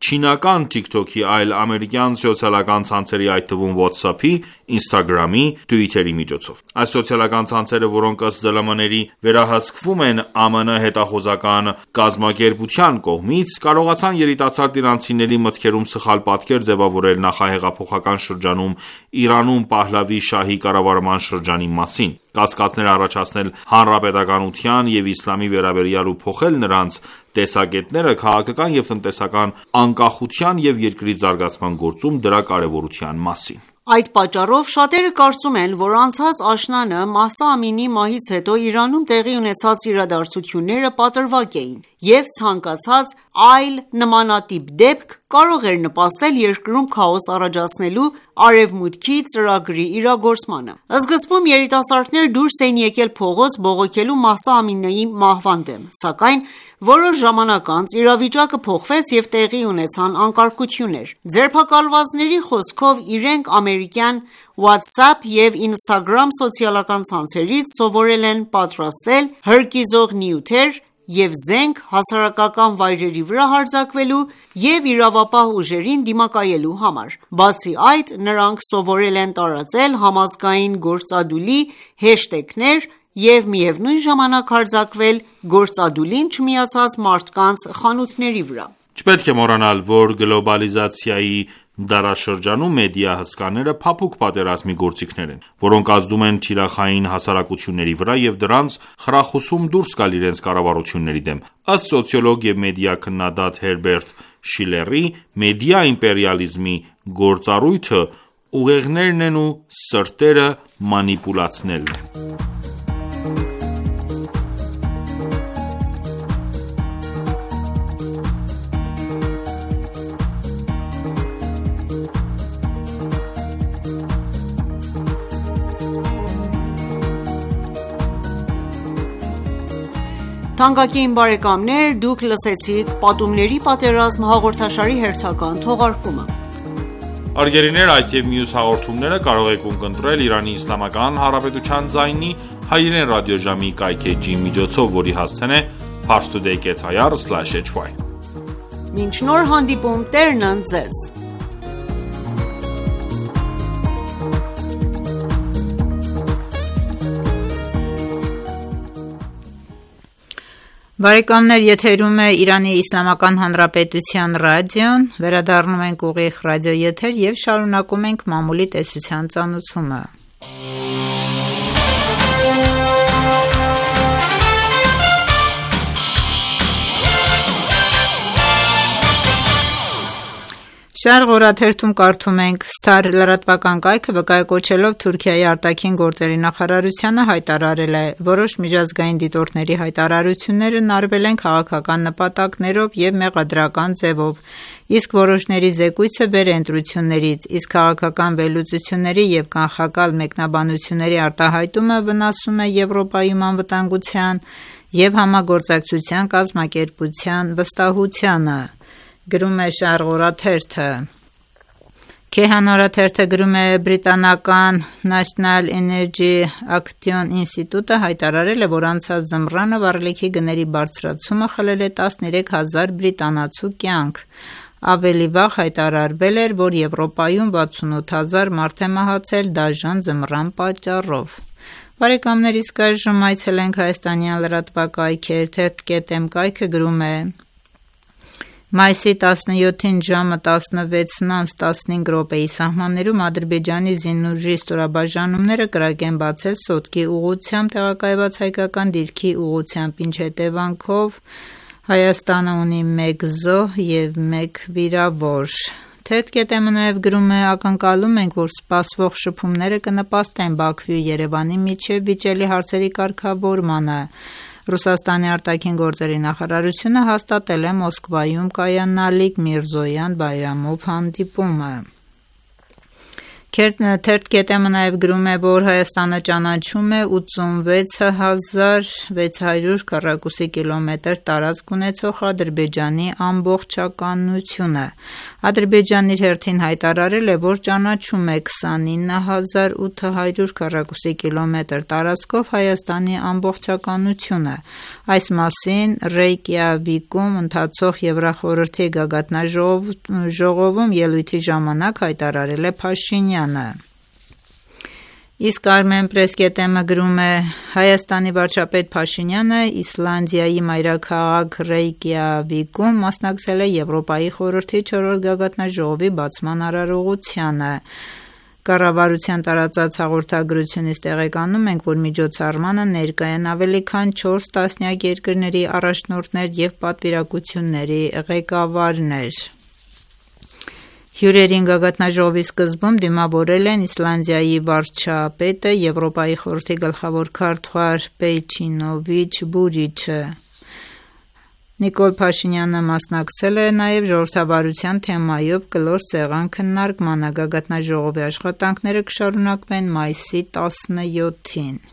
չինական TikTok-ի, այլ ամերիկյան սոցիալական ցանցերի, այդ թվում WhatsApp-ի, Instagram-ի, Twitter-ի միջոցով։ Այս սոցիալական ցանցերը, որոնք ըստ ԶԼՄ-ների վերահսկվում են ԱՄՆ հետախուզական կազմակերպության կողմից, կարողացան երիտասարդ իրանցիների մտքերում սխալ պատկեր ձևավորել նախահեղափոխական շրջանում Իրանում Փահլավի շահի կառավարման շրջանի մասին, կասկածներ առաջացնել հանրապետականության և իսլամի վերաբերյալ ու փոխել նրանց տեսակետները քաղաքական և տնտեսական անկախության և երկրի զարգացման գործում դրա կարևորության մասին։ Այդ պատճառով շատերը կարծում են, որ անցած աշնանը Մահսա Ամինիի մահից հետո Իրանում տեղի ունեցած իրադարձությունները պատրվակ էին և ցանկացած այլ նմանատիպ դեպք կարող էր նպաստել երկրում քաոս առաջացնելու Արևմուտքի ծրագրի իրագործմանը։ Սկզբում երիտասարդներ դուրս էին եկել փողոց բողոքելու Մահսա Ամինիի մահվան դեմ, սակայն որոշ ժամանակ անց իրավիճակը փոխվեց և տեղի ունեցան անկարգություններ։ Ձերբակալվածների խոսքով իրենք ամերիկյան WhatsApp և Instagram սոցիալական ցանցերից սովորել են պատրաստել հրկիզող նյութեր և զենք հասարակական վայրերի վրա հարձակվելու և իրավապահ ուժերին դիմակայելու համար։ Բացի այդ, նրանք սովորել են տարածել համազգային գործադուլի հեշթեգներ և միևնույն ժամանակ հարձակվել գործադուլին չմիացած մարդկանց խանութների վրա։ Չպետք է մոռանալ, որ գլոբալիզացիայի դարաշրջանում մեդիա հսկաները փափուկ պատերազմի գործիքներ են, որոնք ազդում են թիրախային հասարակությունների վրա և դրանց խրախուսում դուրս գալ իրենց կառավարությունների դեմ։ Ըստ սոցիոլոգ և մեդիա քննադատ Հերբերտ Շիլերի, մեդիա իմպերիալիզմի գործառույթը ուղեղներն են ու սրտերը մանիպուլացնելն է։ Թանկագին բարեկամներ, դուք լսեցիք «Պատումների պատերազմ» հաղորդաշարի հերթական թողարկումը։ Հարգելիներ, այս և մյուս հաղորդումները կարող եք ունկնդրել Իրանի Իսլամական Հանրապետության ձայնի հայերեն ռադիոժամի կայքէջի միջոցով, որի հասցեն է parstoday.ir/hy։ Մինչ նոր հանդիպում, Տերն ընդ ձեզ։ Բարեկամներ, եթերում է Իրանի Իսլամական Հանրապետության ռադիոն, վերադառնում ենք ուղիղ ռադիոեթեր և շարունակում ենք մամուլի տեսության ծանուցումը։ Շարղ օրաթերթում կարդում ենք. Star լրատվական կայքը վկայակոչելով Թուրքիայի արտաքին գործերի նախարարությանը հայտարարել է. որոշ միջազգային դիտորդների հայտարարություններն արվել են քաղաքական նպատակներով և մեղադրական ձևով, իսկ որոշների զեկույցը բեր է ընտրություններից, իսկ քաղաքական վերլուծությունների և կանխակալ մեկնաբանությունների արտահայտումը վնասում է Եվրոպայում անվտանգության և համագործակցության կազմակերպության վստահությանը, գրում է Շարղ օրաթերթը։ Քեհան օրաթերթը գրում է. բրիտանական National Energy Action ինստիտուտը հայտարարել է, որ անցած ձմռանը վառելիքի գների բարձրացումը խլել է 13,000 բրիտանացու կյանք։ Ավելի վաղ հայտարարվել էր, որ Եվրոպայում 68,000 մարդ է մահացել դաժան ձմռան պատճառով։ Բարեկամներ, իսկ այժմ այցելենք հայաստանյան լրատվակայքեր, թերթ.am կայքը գրում է. Մայիսի 17-ին ժամը 16:15 սահմաններում Ադրբեջանի զինուժի ստորաբաժանումները կրակ են բացել Սոտկի ուղղությամբ տեղակայված հայկական դիրքի ուղղությամբ, ինչ հետևանքով Հայաստանը ունի 1 զոհ և 1 վիրավոր։ Թերթ.am-ը նաև գրում է. ակնկալում ենք, որ սպասվող շփումները կնպաստեն Բաքվի ու Երևանի միջև վիճելի հարցերի կարգավորմանը։ Ռուսաստանի արտաքին գործերի նախարարությունը հաստատել է Մոսկվայում կայանալիք Միրզոյան-Բայրամով հանդիպումը։ Թերթ.am-ը նաև գրում է, որ Հայաստանը ճանաչում է 86,600 քառակուսի կիլոմետր տարածք ունեցող Ադրբեջանի ամբողջականությունը։ Ադրբեջանն իր հերթին հայտարարել է, որ ճանաչում է 29,800 քառակուսի կիլոմետր տարածքով Հայաստանի ամբողջականությունը։ Այս մասին Ռեյկյավիկում ընթացող Եվրախորհրդի գագաթնաժողովում ելույթի ժամանակ հայտարարել է Փաշինյանը։ Իսկ Armenpress.am-ը գրում է. Հայաստանի վարչապետ Փաշինյանը Իսլանդիայի մայրաքաղաք Ռեյկյավիկում մասնակցել է Եվրոպայի խորհրդի 4-րդ գագաթնաժողովի բացման արարողությանը։ Կառավարության տարածած հաղորդագրությունից տեղեկանում ենք, որ միջոցառմանը ներկա են ավելի քան 4 տասնյակ երկրների առաջնորդներ և պատվիրակությունների ղեկավարներ։ Հյուրերին գագաթնաժողովի սկզբում դիմավորել են Իսլանդիայի վարչապետը, Եվրոպայի խորհրդի գլխավոր քարտուղար Պեյչինովիչ Բուրիչը։ Նիկոլ Փաշինյանը մասնակցել է նաև ժողովրդավարության թեմայով կլոր սեղան քննարկմանը։ Գագաթնաժողովի աշխատանքները կշարունակվեն մայիսի 17-ին։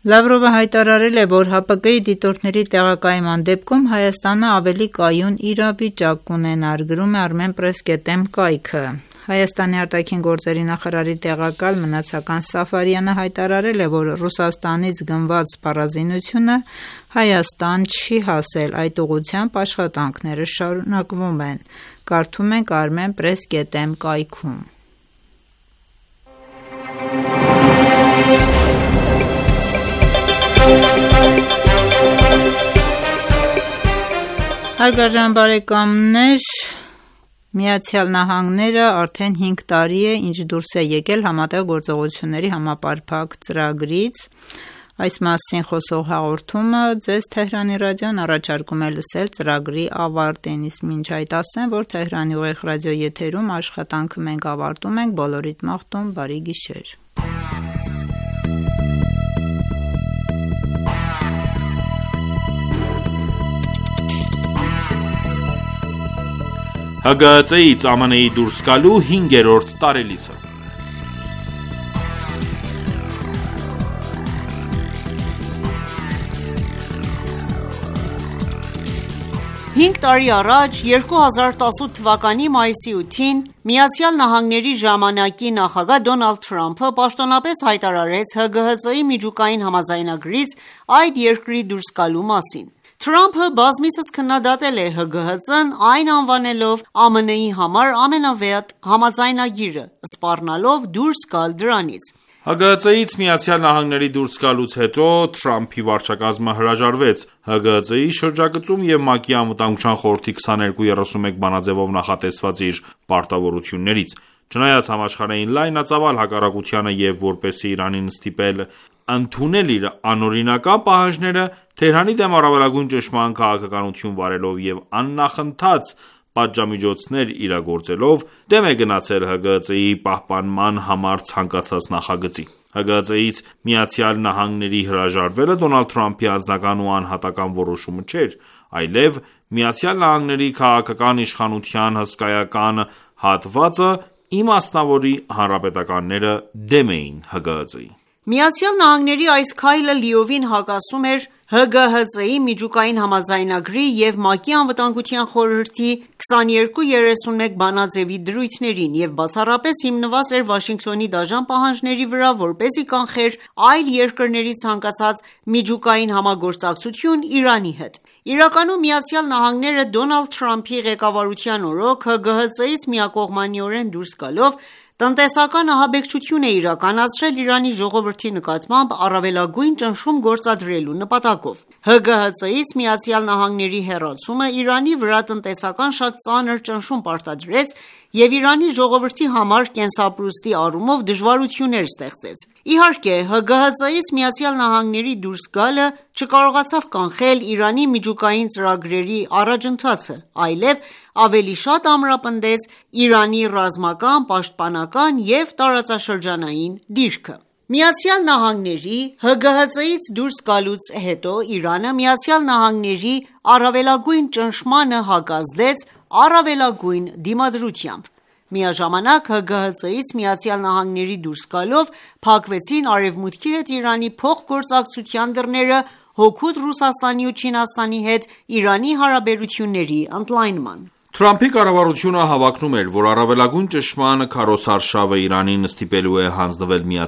Լավրովը հայտարարել է, որ ՀԱՊԿ-ի դիտորդների տեղակայման դեպքում Հայաստանը ավելի կայուն իրավիճակ կունենար, գրում է Armenpress.am կայքը։ Հայաստանի արտաքին գործերի նախարարի տեղակալ Մնացական Սաֆարյանը հայտարարել է, որ Ռուսաստանից գնված սպառազինությունը Հայաստան չի հասել, այդ ուղղությամբ աշխատանքները շարունակվում են։ Կարդում ենք Armenpress.am կայքում։ Հարգարժան բարեկամներ, Միացյալ Նահանգները արդեն 5 տարի է, ինչ դուրս է եկել Համատեղ գործողությունների համապարփակ ծրագրից։ Այս մասին խոսող հաղորդումը ձեզ Թեհրանի ռադիոն առաջարկում է լսել ծրագրի ավարտին, իսկ մինչ այդ ասեմ, որ Թեհրանի ուղիղ ռադիոեթերում աշխատանքը մենք ավարտում ենք, բոլորիդ մաղթում բարի գիշեր։ ՀԳՀԾ-ից ԱՄՆ-ի դուրս գալու 5-րդ տարելիցը։ Հինգ տարի առաջ 2018 թվականի մայիսի 8-ին Միացյալ Նահանգների ժամանակի նախագահ Դոնալդ Թրամփը պաշտոնապես հայտարարեց ՀԳՀԾ-ի միջուկային համաձայնագրից այդ երկրի դուրս գալու մասին։ Թրամփը բազմիցս քննադատել է ՀԳՀԾ-ն, այն անվանելով ԱՄՆ-ի համար ամենավեհ համաձայնագիրը, սպառնալով դուրս գալ դրանից։ ՀԳՀԾ-ից Միացյալ Նահանգների դուրս գալուց հետո Թրամփի վարչակազմը հրաժարվեց ՀԳՀԾ-ի շրջագծում և ՄԱԿ-ի Անվտանգության խորհրդի 2231 բանաձևով նախատեսված իր պարտավորություններից։ Չնայած համաշխարհային լայնածավալ հակառակությանը և որպեսզի Իրանին ստիպել ընդունել իր անօրինական պահանջները, Թեհրանի դեմ առավելագույն ճնշման քաղաքականություն վարելով և աննախընթաց պատժամիջոցներ իրագործելով, դեմ է գնացել ՀԳՀԾ-ի պահպանման համար ցանկացած նախագծի։ ՀԳՀԾ-ից Միացյալ Նահանգների հրաժարվելը Դոնալդ Թրամփի անձնական ու անհատական որոշումը չէր, այլև Միացյալ Նահանգների քաղաքական իշխանության հսկայական հատվածը իմասնավորի հանրապետականները դեմ էին ՀԳՀԾ-ի։ Միացյալ Նահանգների այս քայլը լիովին հակասում էր ՀԳՀԾ-ի միջուկային համաձայնագրի և ՄԱԿ-ի Անվտանգության խորհրդի 2231 բանաձևի դրույթներին և բացառապես հիմնված էր Վաշինգտոնի դաժան պահանջների վրա, որպեսզի կանխեր այլ երկրների ցանկացած միջուկային համագործակցություն Իրանի հետ։ Իրականում ԱՄՆ-ը Դոնալդ Թրամփի ղեկավարության օրոք ՀԳՀԾ-ից միակողմանիորեն դուրս գալով տնտեսական ահաբեկչություն է իրականացրել Իրանի ժողովրդի նկատմամբ առավելագույն ճնշում գործադրելու նպատակով։ ՀԳՀԾ-ից ԱՄՆ-ի հեռացումը Իրանի վրա տնտեսական շատ ծանր ճնշում պարտադրեց և Իրանի ժողովրդի համար կենսապրուստի առումով դժվարություններ ստեղծեց։ Իհարկե, ՀԳՀԾ-ից ԱՄՆ դուրս գալը չկարողացավ կանխել Իրանի միջուկային ծրագրերի առաջընթացը, այլև ավելի շատ ամրապնդեց Իրանի ռազմական, պաշտպանական և տարածաշրջանային դիրքը։ ԱՄՆ-ի ՀԳՀԾ-ից դուրս գալուց հետո Իրանը ԱՄՆ-ի առավելագույն ճնշմանը հակազդեց առավելագույն դիմադրությամբ։ Միաժամանակ ՀԳՀԾ-ից ԱՄՆ դուրս գալով փակվեցին Արևմուտքի հետ Իրանի փոխգործակցության դռները հօգուտ Ռուսաստանի ու Չինաստանի հետ Իրանի հարաբերությունների ընդլայնման։ Թրամփի կառավարությունը հավակնում էր, որ առավելագույն ճնշման քարոզարշավը Իրանին ստիպելու է հանձնվել ԱՄՆ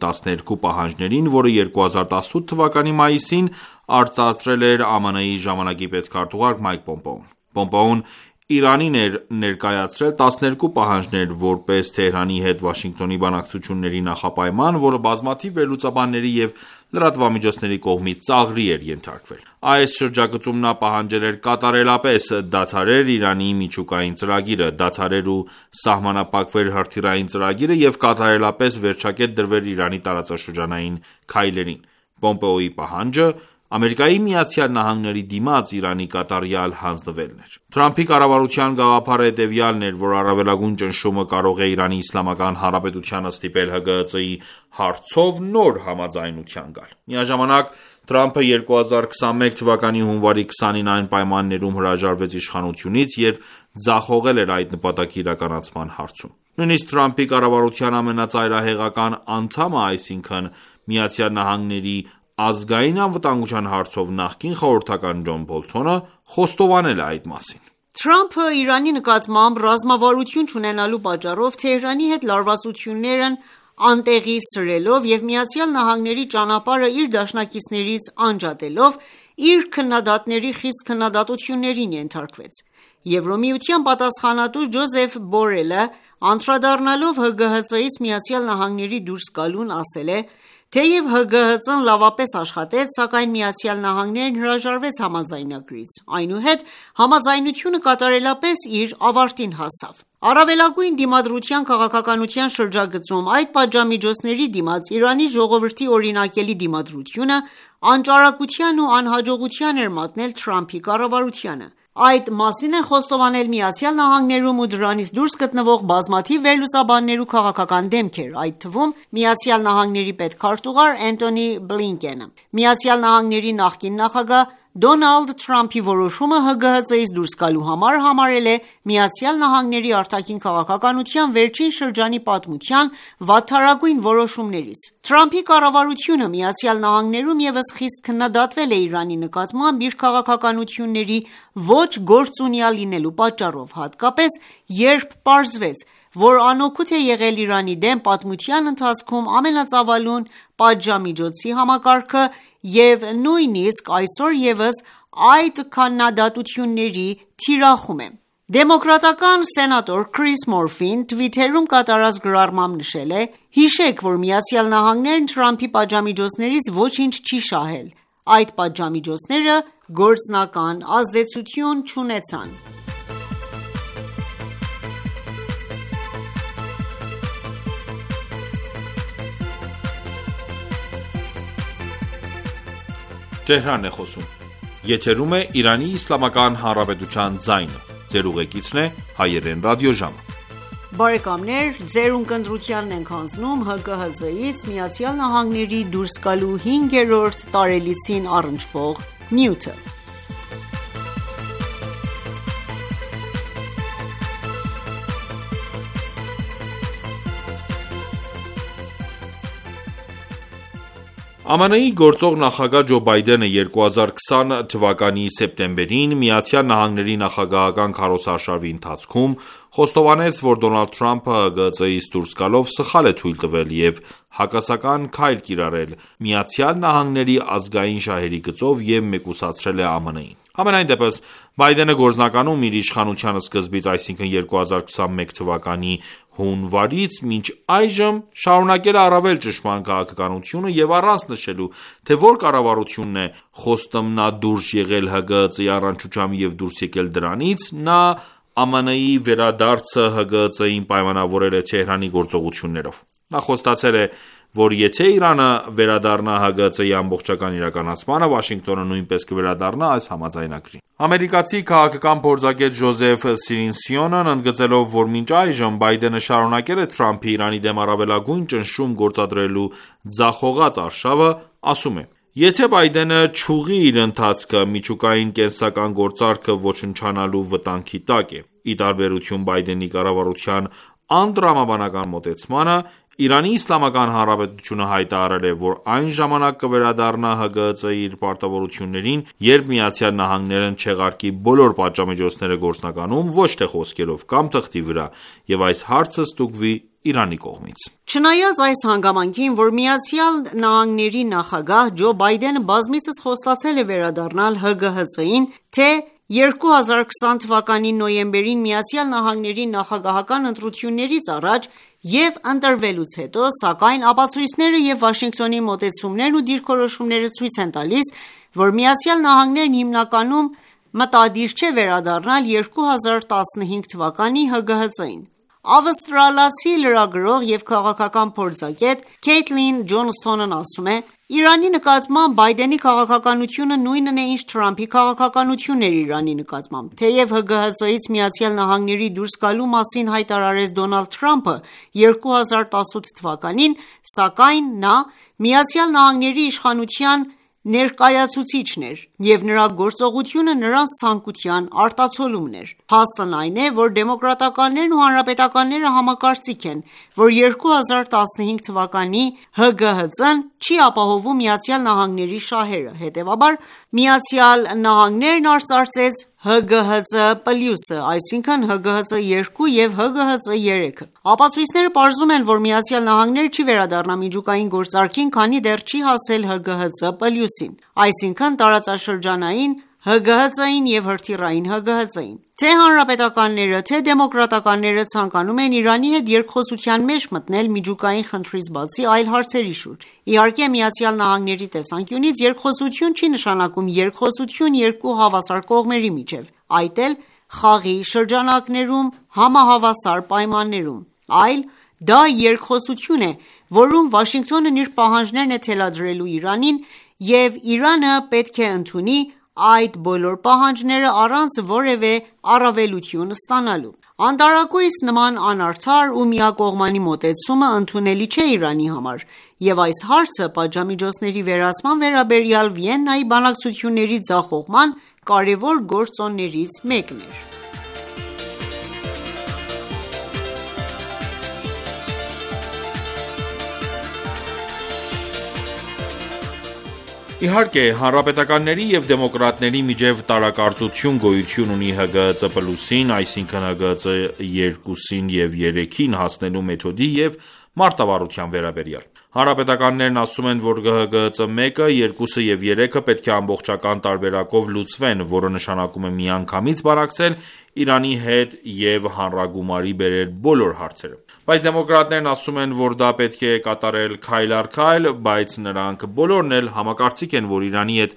12 պահանջներին, որը 2018 թվականի մայիսին արծարծրել էր ԱՄՆ-ի ժամանակի պետքարտուղար Մայք Պոմպեոն։ Պոմպեոն Իրանին էր ներկայացրել 12 պահանջներ, որպես Թեհրանի հետ Վաշինգտոնի բանակցությունների նախապայման, որը բազմաթիվ վերլուծաբանների և լրատվամիջոցների կողմից ծաղրի էր ենթարկվել։ Այս շրջագծում նա պահանջել էր կատարելապես դադարել Իրանի միջուկային ծրագիրը, դադարել ու սահմանափակվել հրթիռային ծրագիրը և կատարելապես վերջակետ դրվել Իրանի տարածաշրջանային քայլերին։ Պոմպեոյի պահանջը ԱՄՆ-ի դիմաց Իրանի կատարյալ հանձնվելն էր։ Թրամփի կառավարության գաղափարը հետևյալն էր, որ առավելագույն ճնշումը կարող է Իրանի Իսլամական Հանրապետությանը ստիպել ՀԳՀԾ-ի հարցով նոր համաձայնության գալ։ Միաժամանակ Թրամփը 2021 թվականի հունվարի 20-ին այն պայմաններում հրաժարվեց իշխանությունից, երբ ձախողել էր այդ նպատակի իրականացման հարցում։ Նույնիսկ Թրամփի կառավարության ամենածայրահեղական անդամը, այսինքն ԱՄՆ ազգային անվտանգության հարցով նախկին խորհրդական Ջոն Բոլթոնը խոստովանել է այդ մասին։ Թրամփը Իրանի նկատմամբ ռազմավարություն չունենալու պատճառով Թեհրանի հետ լարվածություններն անտեղի սրելով և ԱՄՆ ճանապարհը իր դաշնակիցներից անջատելով իր քննադատների խիստ քննադատություններին ենթարկվեց։ Եվրոմիության պատասխանատու Ջոզեֆ Բորելը անդրադառնալով ՀԳՀԾ-ից ԱՄՆ դուրս գալուն ասել է. Թեև ՀԳՀԾ-ն լավապես աշխատեց, սակայն ԱՄՆ-ն հրաժարվեց համաձայնագրից, այնուհետ համաձայնությունը կատարելապես իր ավարտին հասավ։ Առավելագույն դիմադրության քաղաքականության շրջագծում այդ պատժամիջոցների դիմաց Իրանի ժողովրդի օրինակելի դիմադրությունը անճարակության ու անհաջողության էր մատնել Թրամփի կառավարությանը։ Այդ մասին են խոստովանել ԱՄՆ-ում ու դրանից դուրս գտնվող բազմաթիվ վերլուծաբաններ ու քաղաքական դեմքեր, այդ թվում ԱՄՆ պետքարտուղար Էնթոնի Բլինկենը։ ԱՄՆ նախկին նախագահ Դոնալդ Թրամփի որոշումը ՀԳՀԾ-ից դուրս գալու համար համարել է ԱՄՆ արտաքին քաղաքականության վերջին շրջանի պատմության վատթարագույն որոշումներից։ Թրամփի կառավարությունը ԱՄՆ-ում ևս խիստ քննադատվել է Իրանի նկատմամբ իր քաղաքականությունների ոչ գործունյա լինելու պատճառով, հատկապես երբ պարզվեց, որ անօգուտ է եղել Իրանի դեմ պատմության ընթացքում ամենածավալուն պատժամիջոցի համակարգը և նույնիսկ այսօր ևս այդ քննադատությունների թիրախում է։ Դեմոկրատական սենատոր Քրիս Մորֆին Twitter-ում կատարած գրառմամբ նշել է. «Հիշեք, որ ԱՄՆ-ն Թրամփի պատժամիջոցներից ոչինչ չի շահել։ Այդ պատժամիջոցները գործնական ազդեցություն չունեցան»։ ԱՄՆ-ի գործող նախագահ Ջո Բայդենը 2020 թվականի սեպտեմբերին ԱՄՆ-ի նախագահական քարոզարշավի ընթացքում խոստովանեց, որ Դոնալդ Թրամփը ՀԳԾ-ից դուրս գալով սխալ է թույլ տվել և հակասական քայլ կիրառել ԱՄՆ-ի ազգային շահերի գծով և մեկուսացրել է ԱՄՆ-ին: Համենայն դեպս, Բայդենը գործնականում իր իշխանության սկզբից, այսինքն 2021 թվականի հունվարից մինչ այժմ շարունակել է առավել ճշմարտ քաղաքականությունը և առանց նշելու, թե որ կառավարությունն է խոստմնադուրժ եղել ՀԳՀԾ-ի առնչությամբ և դուրս եկել դրանից, նա ԱՄՆ-ի վերադարձը ՀԳՀԾ-ին պայմանավորել է Թեհրանի գործողություններով: Նա խոստացել է, որ եթե Իրանը վերադառնա ՀԳՀԾ-ի ամբողջական իրականացմանը, Վաշինգտոնը նույնպես կվերադառնա այս համաձայնագրին: Ամերիկացի քաղաքական փորձագետ Ջոզեֆ Սիրինսյոնն ընդգծելով, որ մինչ այժմ Բայդենը շարունակել է Թրամփի Իրանի դեմ առավելագույն ճնշում գործադրելու ձախողած արշավը, ասում է. Եթե Բայդենը չուղղի իր ընթացքը, միջուկային կենսական գործարքը ոչնչանալու վտանգի տակ է: Ի տարբերություն Բայդենի կառավարության անտրամաբանական մոտեցմանը, Իրանի Իսլամական Հանրապետությունը հայտարարել է, որ այն ժամանակ կվերադառնա ՀԳՀԾ-ի իր պարտավորություններին, երբ ԱՄՆ-ն չեղարկի բոլոր պատժամիջոցները գործնականում, ոչ թե խոսքերով կամ թղթի վրա, և այս հարցը ստուգվի Իրանի կողմից: Չնայած այս հանգամանքին, որ ԱՄՆ-ի նախագահ Ջո Բայդենը բազմիցս խոստացել է վերադառնալ ՀԳՀԾ-ին, թե 2020 թվականի նոյեմբերին ԱՄՆ-ի նախագահական ընտրություններից առաջ և ընտրվելուց հետո, սակայն ապացույցները և Վաշինգտոնի մոտեցումներն ու դիրքորոշումները ցույց են տալիս, որ ԱՄՆ-ն հիմնականում մտադիր չէ վերադառնալ 2015 թվականի ՀԳՀԾ-ին: Ավստրալացի լրագրող և քաղաքական փորձագետ Քեյթլին Ջոնսթոնն ասում է. «Իրանի նկատմամբ Բայդենի քաղաքականությունը նույնն է, ինչ Թրամփի քաղաքականությունն էր Իրանի նկատմամբ: Թեև ՀԳՀԾ-ից ԱՄՆ-ի դուրս գալու մասին հայտարարեց Դոնալդ Թրամփը 2018 թվականին, սակայն նա ԱՄՆ-ի իշխանության ներկայացուցիչն էր, և նրա գործողությունը նրանց ցանկության արտացոլումն էր: Փաստն այն է, որ դեմոկրատականներն ու հանրապետականները համակարծիք են, որ 2015 թվականի ՀԳՀԾ-ն չի ապահովում ԱՄՆ-ի շահերը, հետևաբար ԱՄՆ-ն արծարծեց ՀԳՀԾ+, այսինքն ՀԳՀԾ2 և ՀԳՀԾ3: Ապացույցները պարզում են, որ ԱՄՆ-ն չի վերադառնա միջուկային գործարքին, քանի դեռ չի հասել ՀԳՀԾ+-ին, այսինքն տարածաշրջանային ՀԳՀԾ-ին և հրթիռային ՀԳՀԾ-ին: Թե հանրապետականները, թե դեմոկրատականները ցանկանում են Իրանի հետ երկխոսության մեջ մտնել միջուկային խնդրից բացի այլ հարցերի շուրջ: Իհարկե, ԱՄՆ-ի տեսանկյունից երկխոսություն չի նշանակում երկխոսություն երկու հավասար կողմերի միջև, այդ էլ խաղի շրջանակներում համահավասար պայմաններում, այլ դա երկխոսություն է, որում Վաշինգտոնն իր պահանջներն է թելադրելու Իրանին, և Իրանը պետք է ընդունի այդ բոլոր պահանջները առանց որևէ առավելություն ստանալու: Անտարակույս նման անարդար ու միակողմանի մոտեցումը ընդունելի չէ Իրանի համար, և այս հարցը պատժամիջոցների վերացման վերաբերյալ Վիեննայի բանակցությունների ձախողման կարևոր գործոններից մեկն էր: Իհարկե, հանրապետականների և դեմոկրատների միջև տարակարծություն գոյություն ունի ՀԳՀԾ+-ին, այսինքն ՀԳՀԾ2-ին և 3-ին հասնելու մեթոդի և մարտավարության վերաբերյալ: Հանրապետականներն ասում են, որ ՀԳՀԾ1, 2-ը և 3-ը պետք է ամբողջական տարբերակով լուծվեն, որը նշանակում է միանգամից բանակցել Իրանի հետ և հանրագումարի բերել բոլոր հարցերը: Բայց դեմոկրատներն ասում են, որ դա պետք է կատարել քայլ առ քայլ, բայց նրանք բոլորն էլ համակարծիք են, որ Իրանի հետ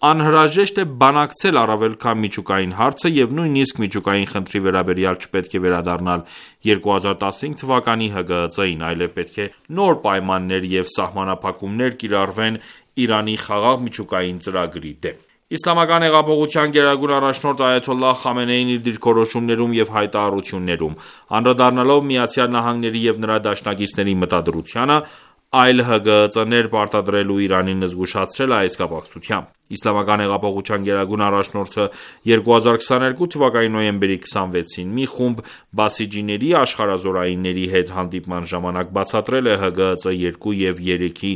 անհրաժեշտ է բանակցել առավել քան միջուկային հարցը և նույնիսկ միջուկային խնդրի վերաբերյալ չպետք է վերադառնալ 2015 թվականի ՀԳՀԾ-ին, այլև պետք է նոր պայմաններ և սահմանափակումներ կիրառվեն Իրանի խաղաղ միջուկային ծրագրի դեմ: Իսլամական հեղափոխության գերագույն առաջնորդ Այաթոլլահ Խամենեին իր դիրքորոշումներում և հայտարարություններում, անդրադառնալով ԱՄՆ-ի և նրա դաշնակիցների մտադրությանը, այլ ՀԳՀԾ-ներ պարտադրելու Իրանին զգուշացրել է այս կապակցությամբ։ Իսլամական հեղափոխության գերագույն առաջնորդը 2022 թվականի նոյեմբերի 26-ին մի խումբ բասիջիների աշխարհազորայինների հետ հանդիպման ժամանակ բացատրել է ՀԳՀԾ 2 և 3-ի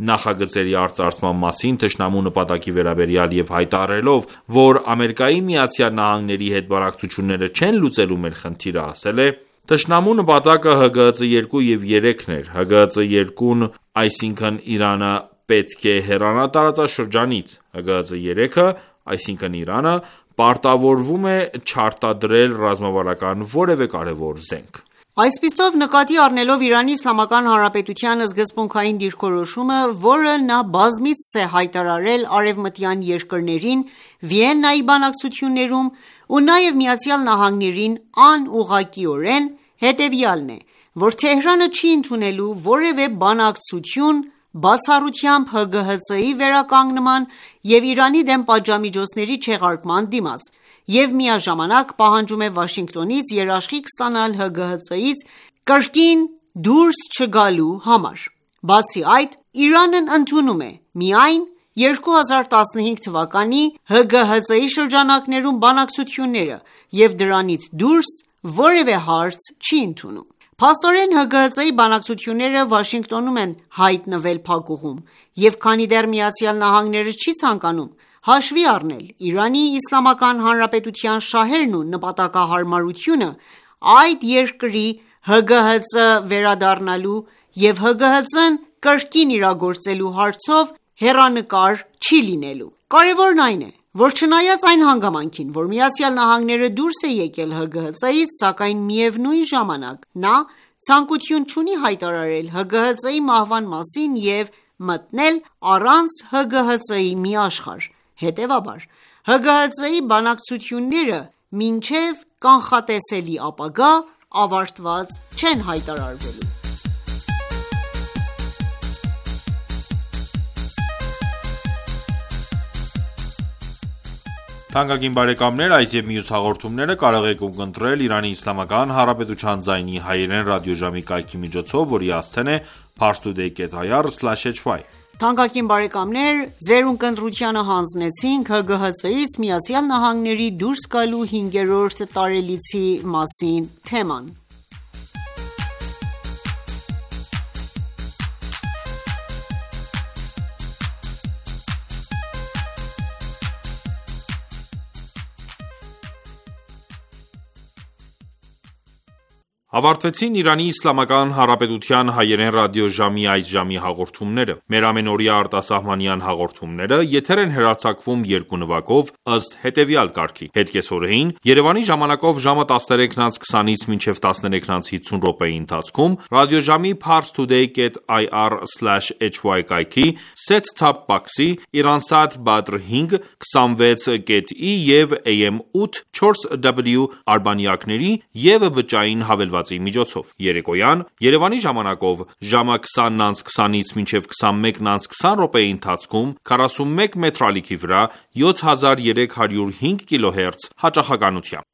նախագծերի արծարծման մասին թշնամու նպատակի վերաբերյալ և հայտարարելով, որ ԱՄՆ-ի հետ բանակցությունները չեն լուծելու մեր խնդիրը, ասել է. «Թշնամու նպատակը ՀԳՀԾ 2 և 3-ն էր, ՀԳՀԾ 2-ն, այսինքն Իրանը պետք է հեռանա տարածաշրջանից, ՀԳՀԾ 3-ը, այսինքն Իրանը, պարտավորվում է չարտադրել ռազմավարական որևէ կարևոր զենք»։ Այսպիսով, նկատի առնելով Իրանի Իսլամական Հանրապետության սկզբունքային դիրքորոշումը, որը նա բազմիցս է հայտարարել արևմտյան երկրներին Վիեննայի բանակցություններում ու նաև ԱՄՆ-ին անուղղակիորեն, հետևյալն է, որ Թեհրանը չի ընդունելու որևէ բանակցություն բացառությամբ ՀԳՀԾ-ի վերականգնման և Իրանի դեմ պատժամիջոցների չեղարկման դիմաց և միաժամանակ պահանջում է Վաշինգտոնից երաշխիք ստանալ ՀԳՀԾ-ից կրկին դուրս չգալու համար։ Բացի այդ, Իրանն ընդունում է միայն 2015 թվականի ՀԳՀԾ-ի շրջանակներում բանակցությունները և դրանից դուրս որևէ հարց չի ընդունում։ Փաստորեն ՀԳՀԾ-ի բանակցությունները Վաշինգտոնում են հայտնվել փակուղում, և քանի դեռ ԱՄՆ-ն չի ցանկանում հաշվի առնել Իրանի Իսլամական Հանրապետության շահերն ու նպատակահարմարությունը այդ երկրի ՀԳՀԾ վերադառնալու և ՀԳՀԾ-ն կրկին իրագործելու հարցով հեռանկար չի լինելու։ Կարևորն այն է, որ չնայած այն հանգամանքին, որ ԱՄՆ-ն դուրս է եկել ՀԳՀԾ-ից, սակայն միևնույն ժամանակ նա ցանկություն չունի հայտարարել ՀԳՀԾ-ի մահվան մասին և մտնել առանց ՀԳՀԾ-ի մի աշխարհ։ Հետևաբար, ՀԳՀԾ-ի բանակցությունները մինչև կանխատեսելի ապագա ավարտված չեն հայտարարվելու։ Թանկագին բարեկամներ, այս և մյուս հաղորդումները կարող եք ունկնդրել Իրանի Իսլամական Հանրապետության ձայնի հայերեն ռադիոժամի կայքի միջոցով, որի հասցեն է parstoday.ir/hy: Թանկագին բարեկամներ, ձեր ունկնդրությանը հանձնեցինք ՀԳՀԾ-ից ԱՄՆ-ի դուրս գալու 5-րդ տարելիցի մասին թեման։ Ավարտվեցին Իրանի Իսլամական Հանրապետության հայերեն ռադիոժամի այս ժամի հաղորդումները։ Մեր ամենօրյա արտասահմանյան հաղորդումները եթեր են հեռարձակվում երկու նվագով ըստ հետևյալ կարգի. Հետկեսօրեին Երևանի ժամանակով ժամը 13:20-ից մինչև 13:50 րոպեի ընթացքում ռադիոժամի parstoday.ir/hy կայքի set-top box-ի Iransat Badr 5, 26.E և AM 8 4W արբանյակների և բջջային հավելվածի միջոցով։ Երեկոյան Երևանի ժամանակով ժամը 20:20-ից մինչև 21:20 րոպեի ընթացքում 41 մետրալիքի վրա 7305 կՀz հաճախականությամբ։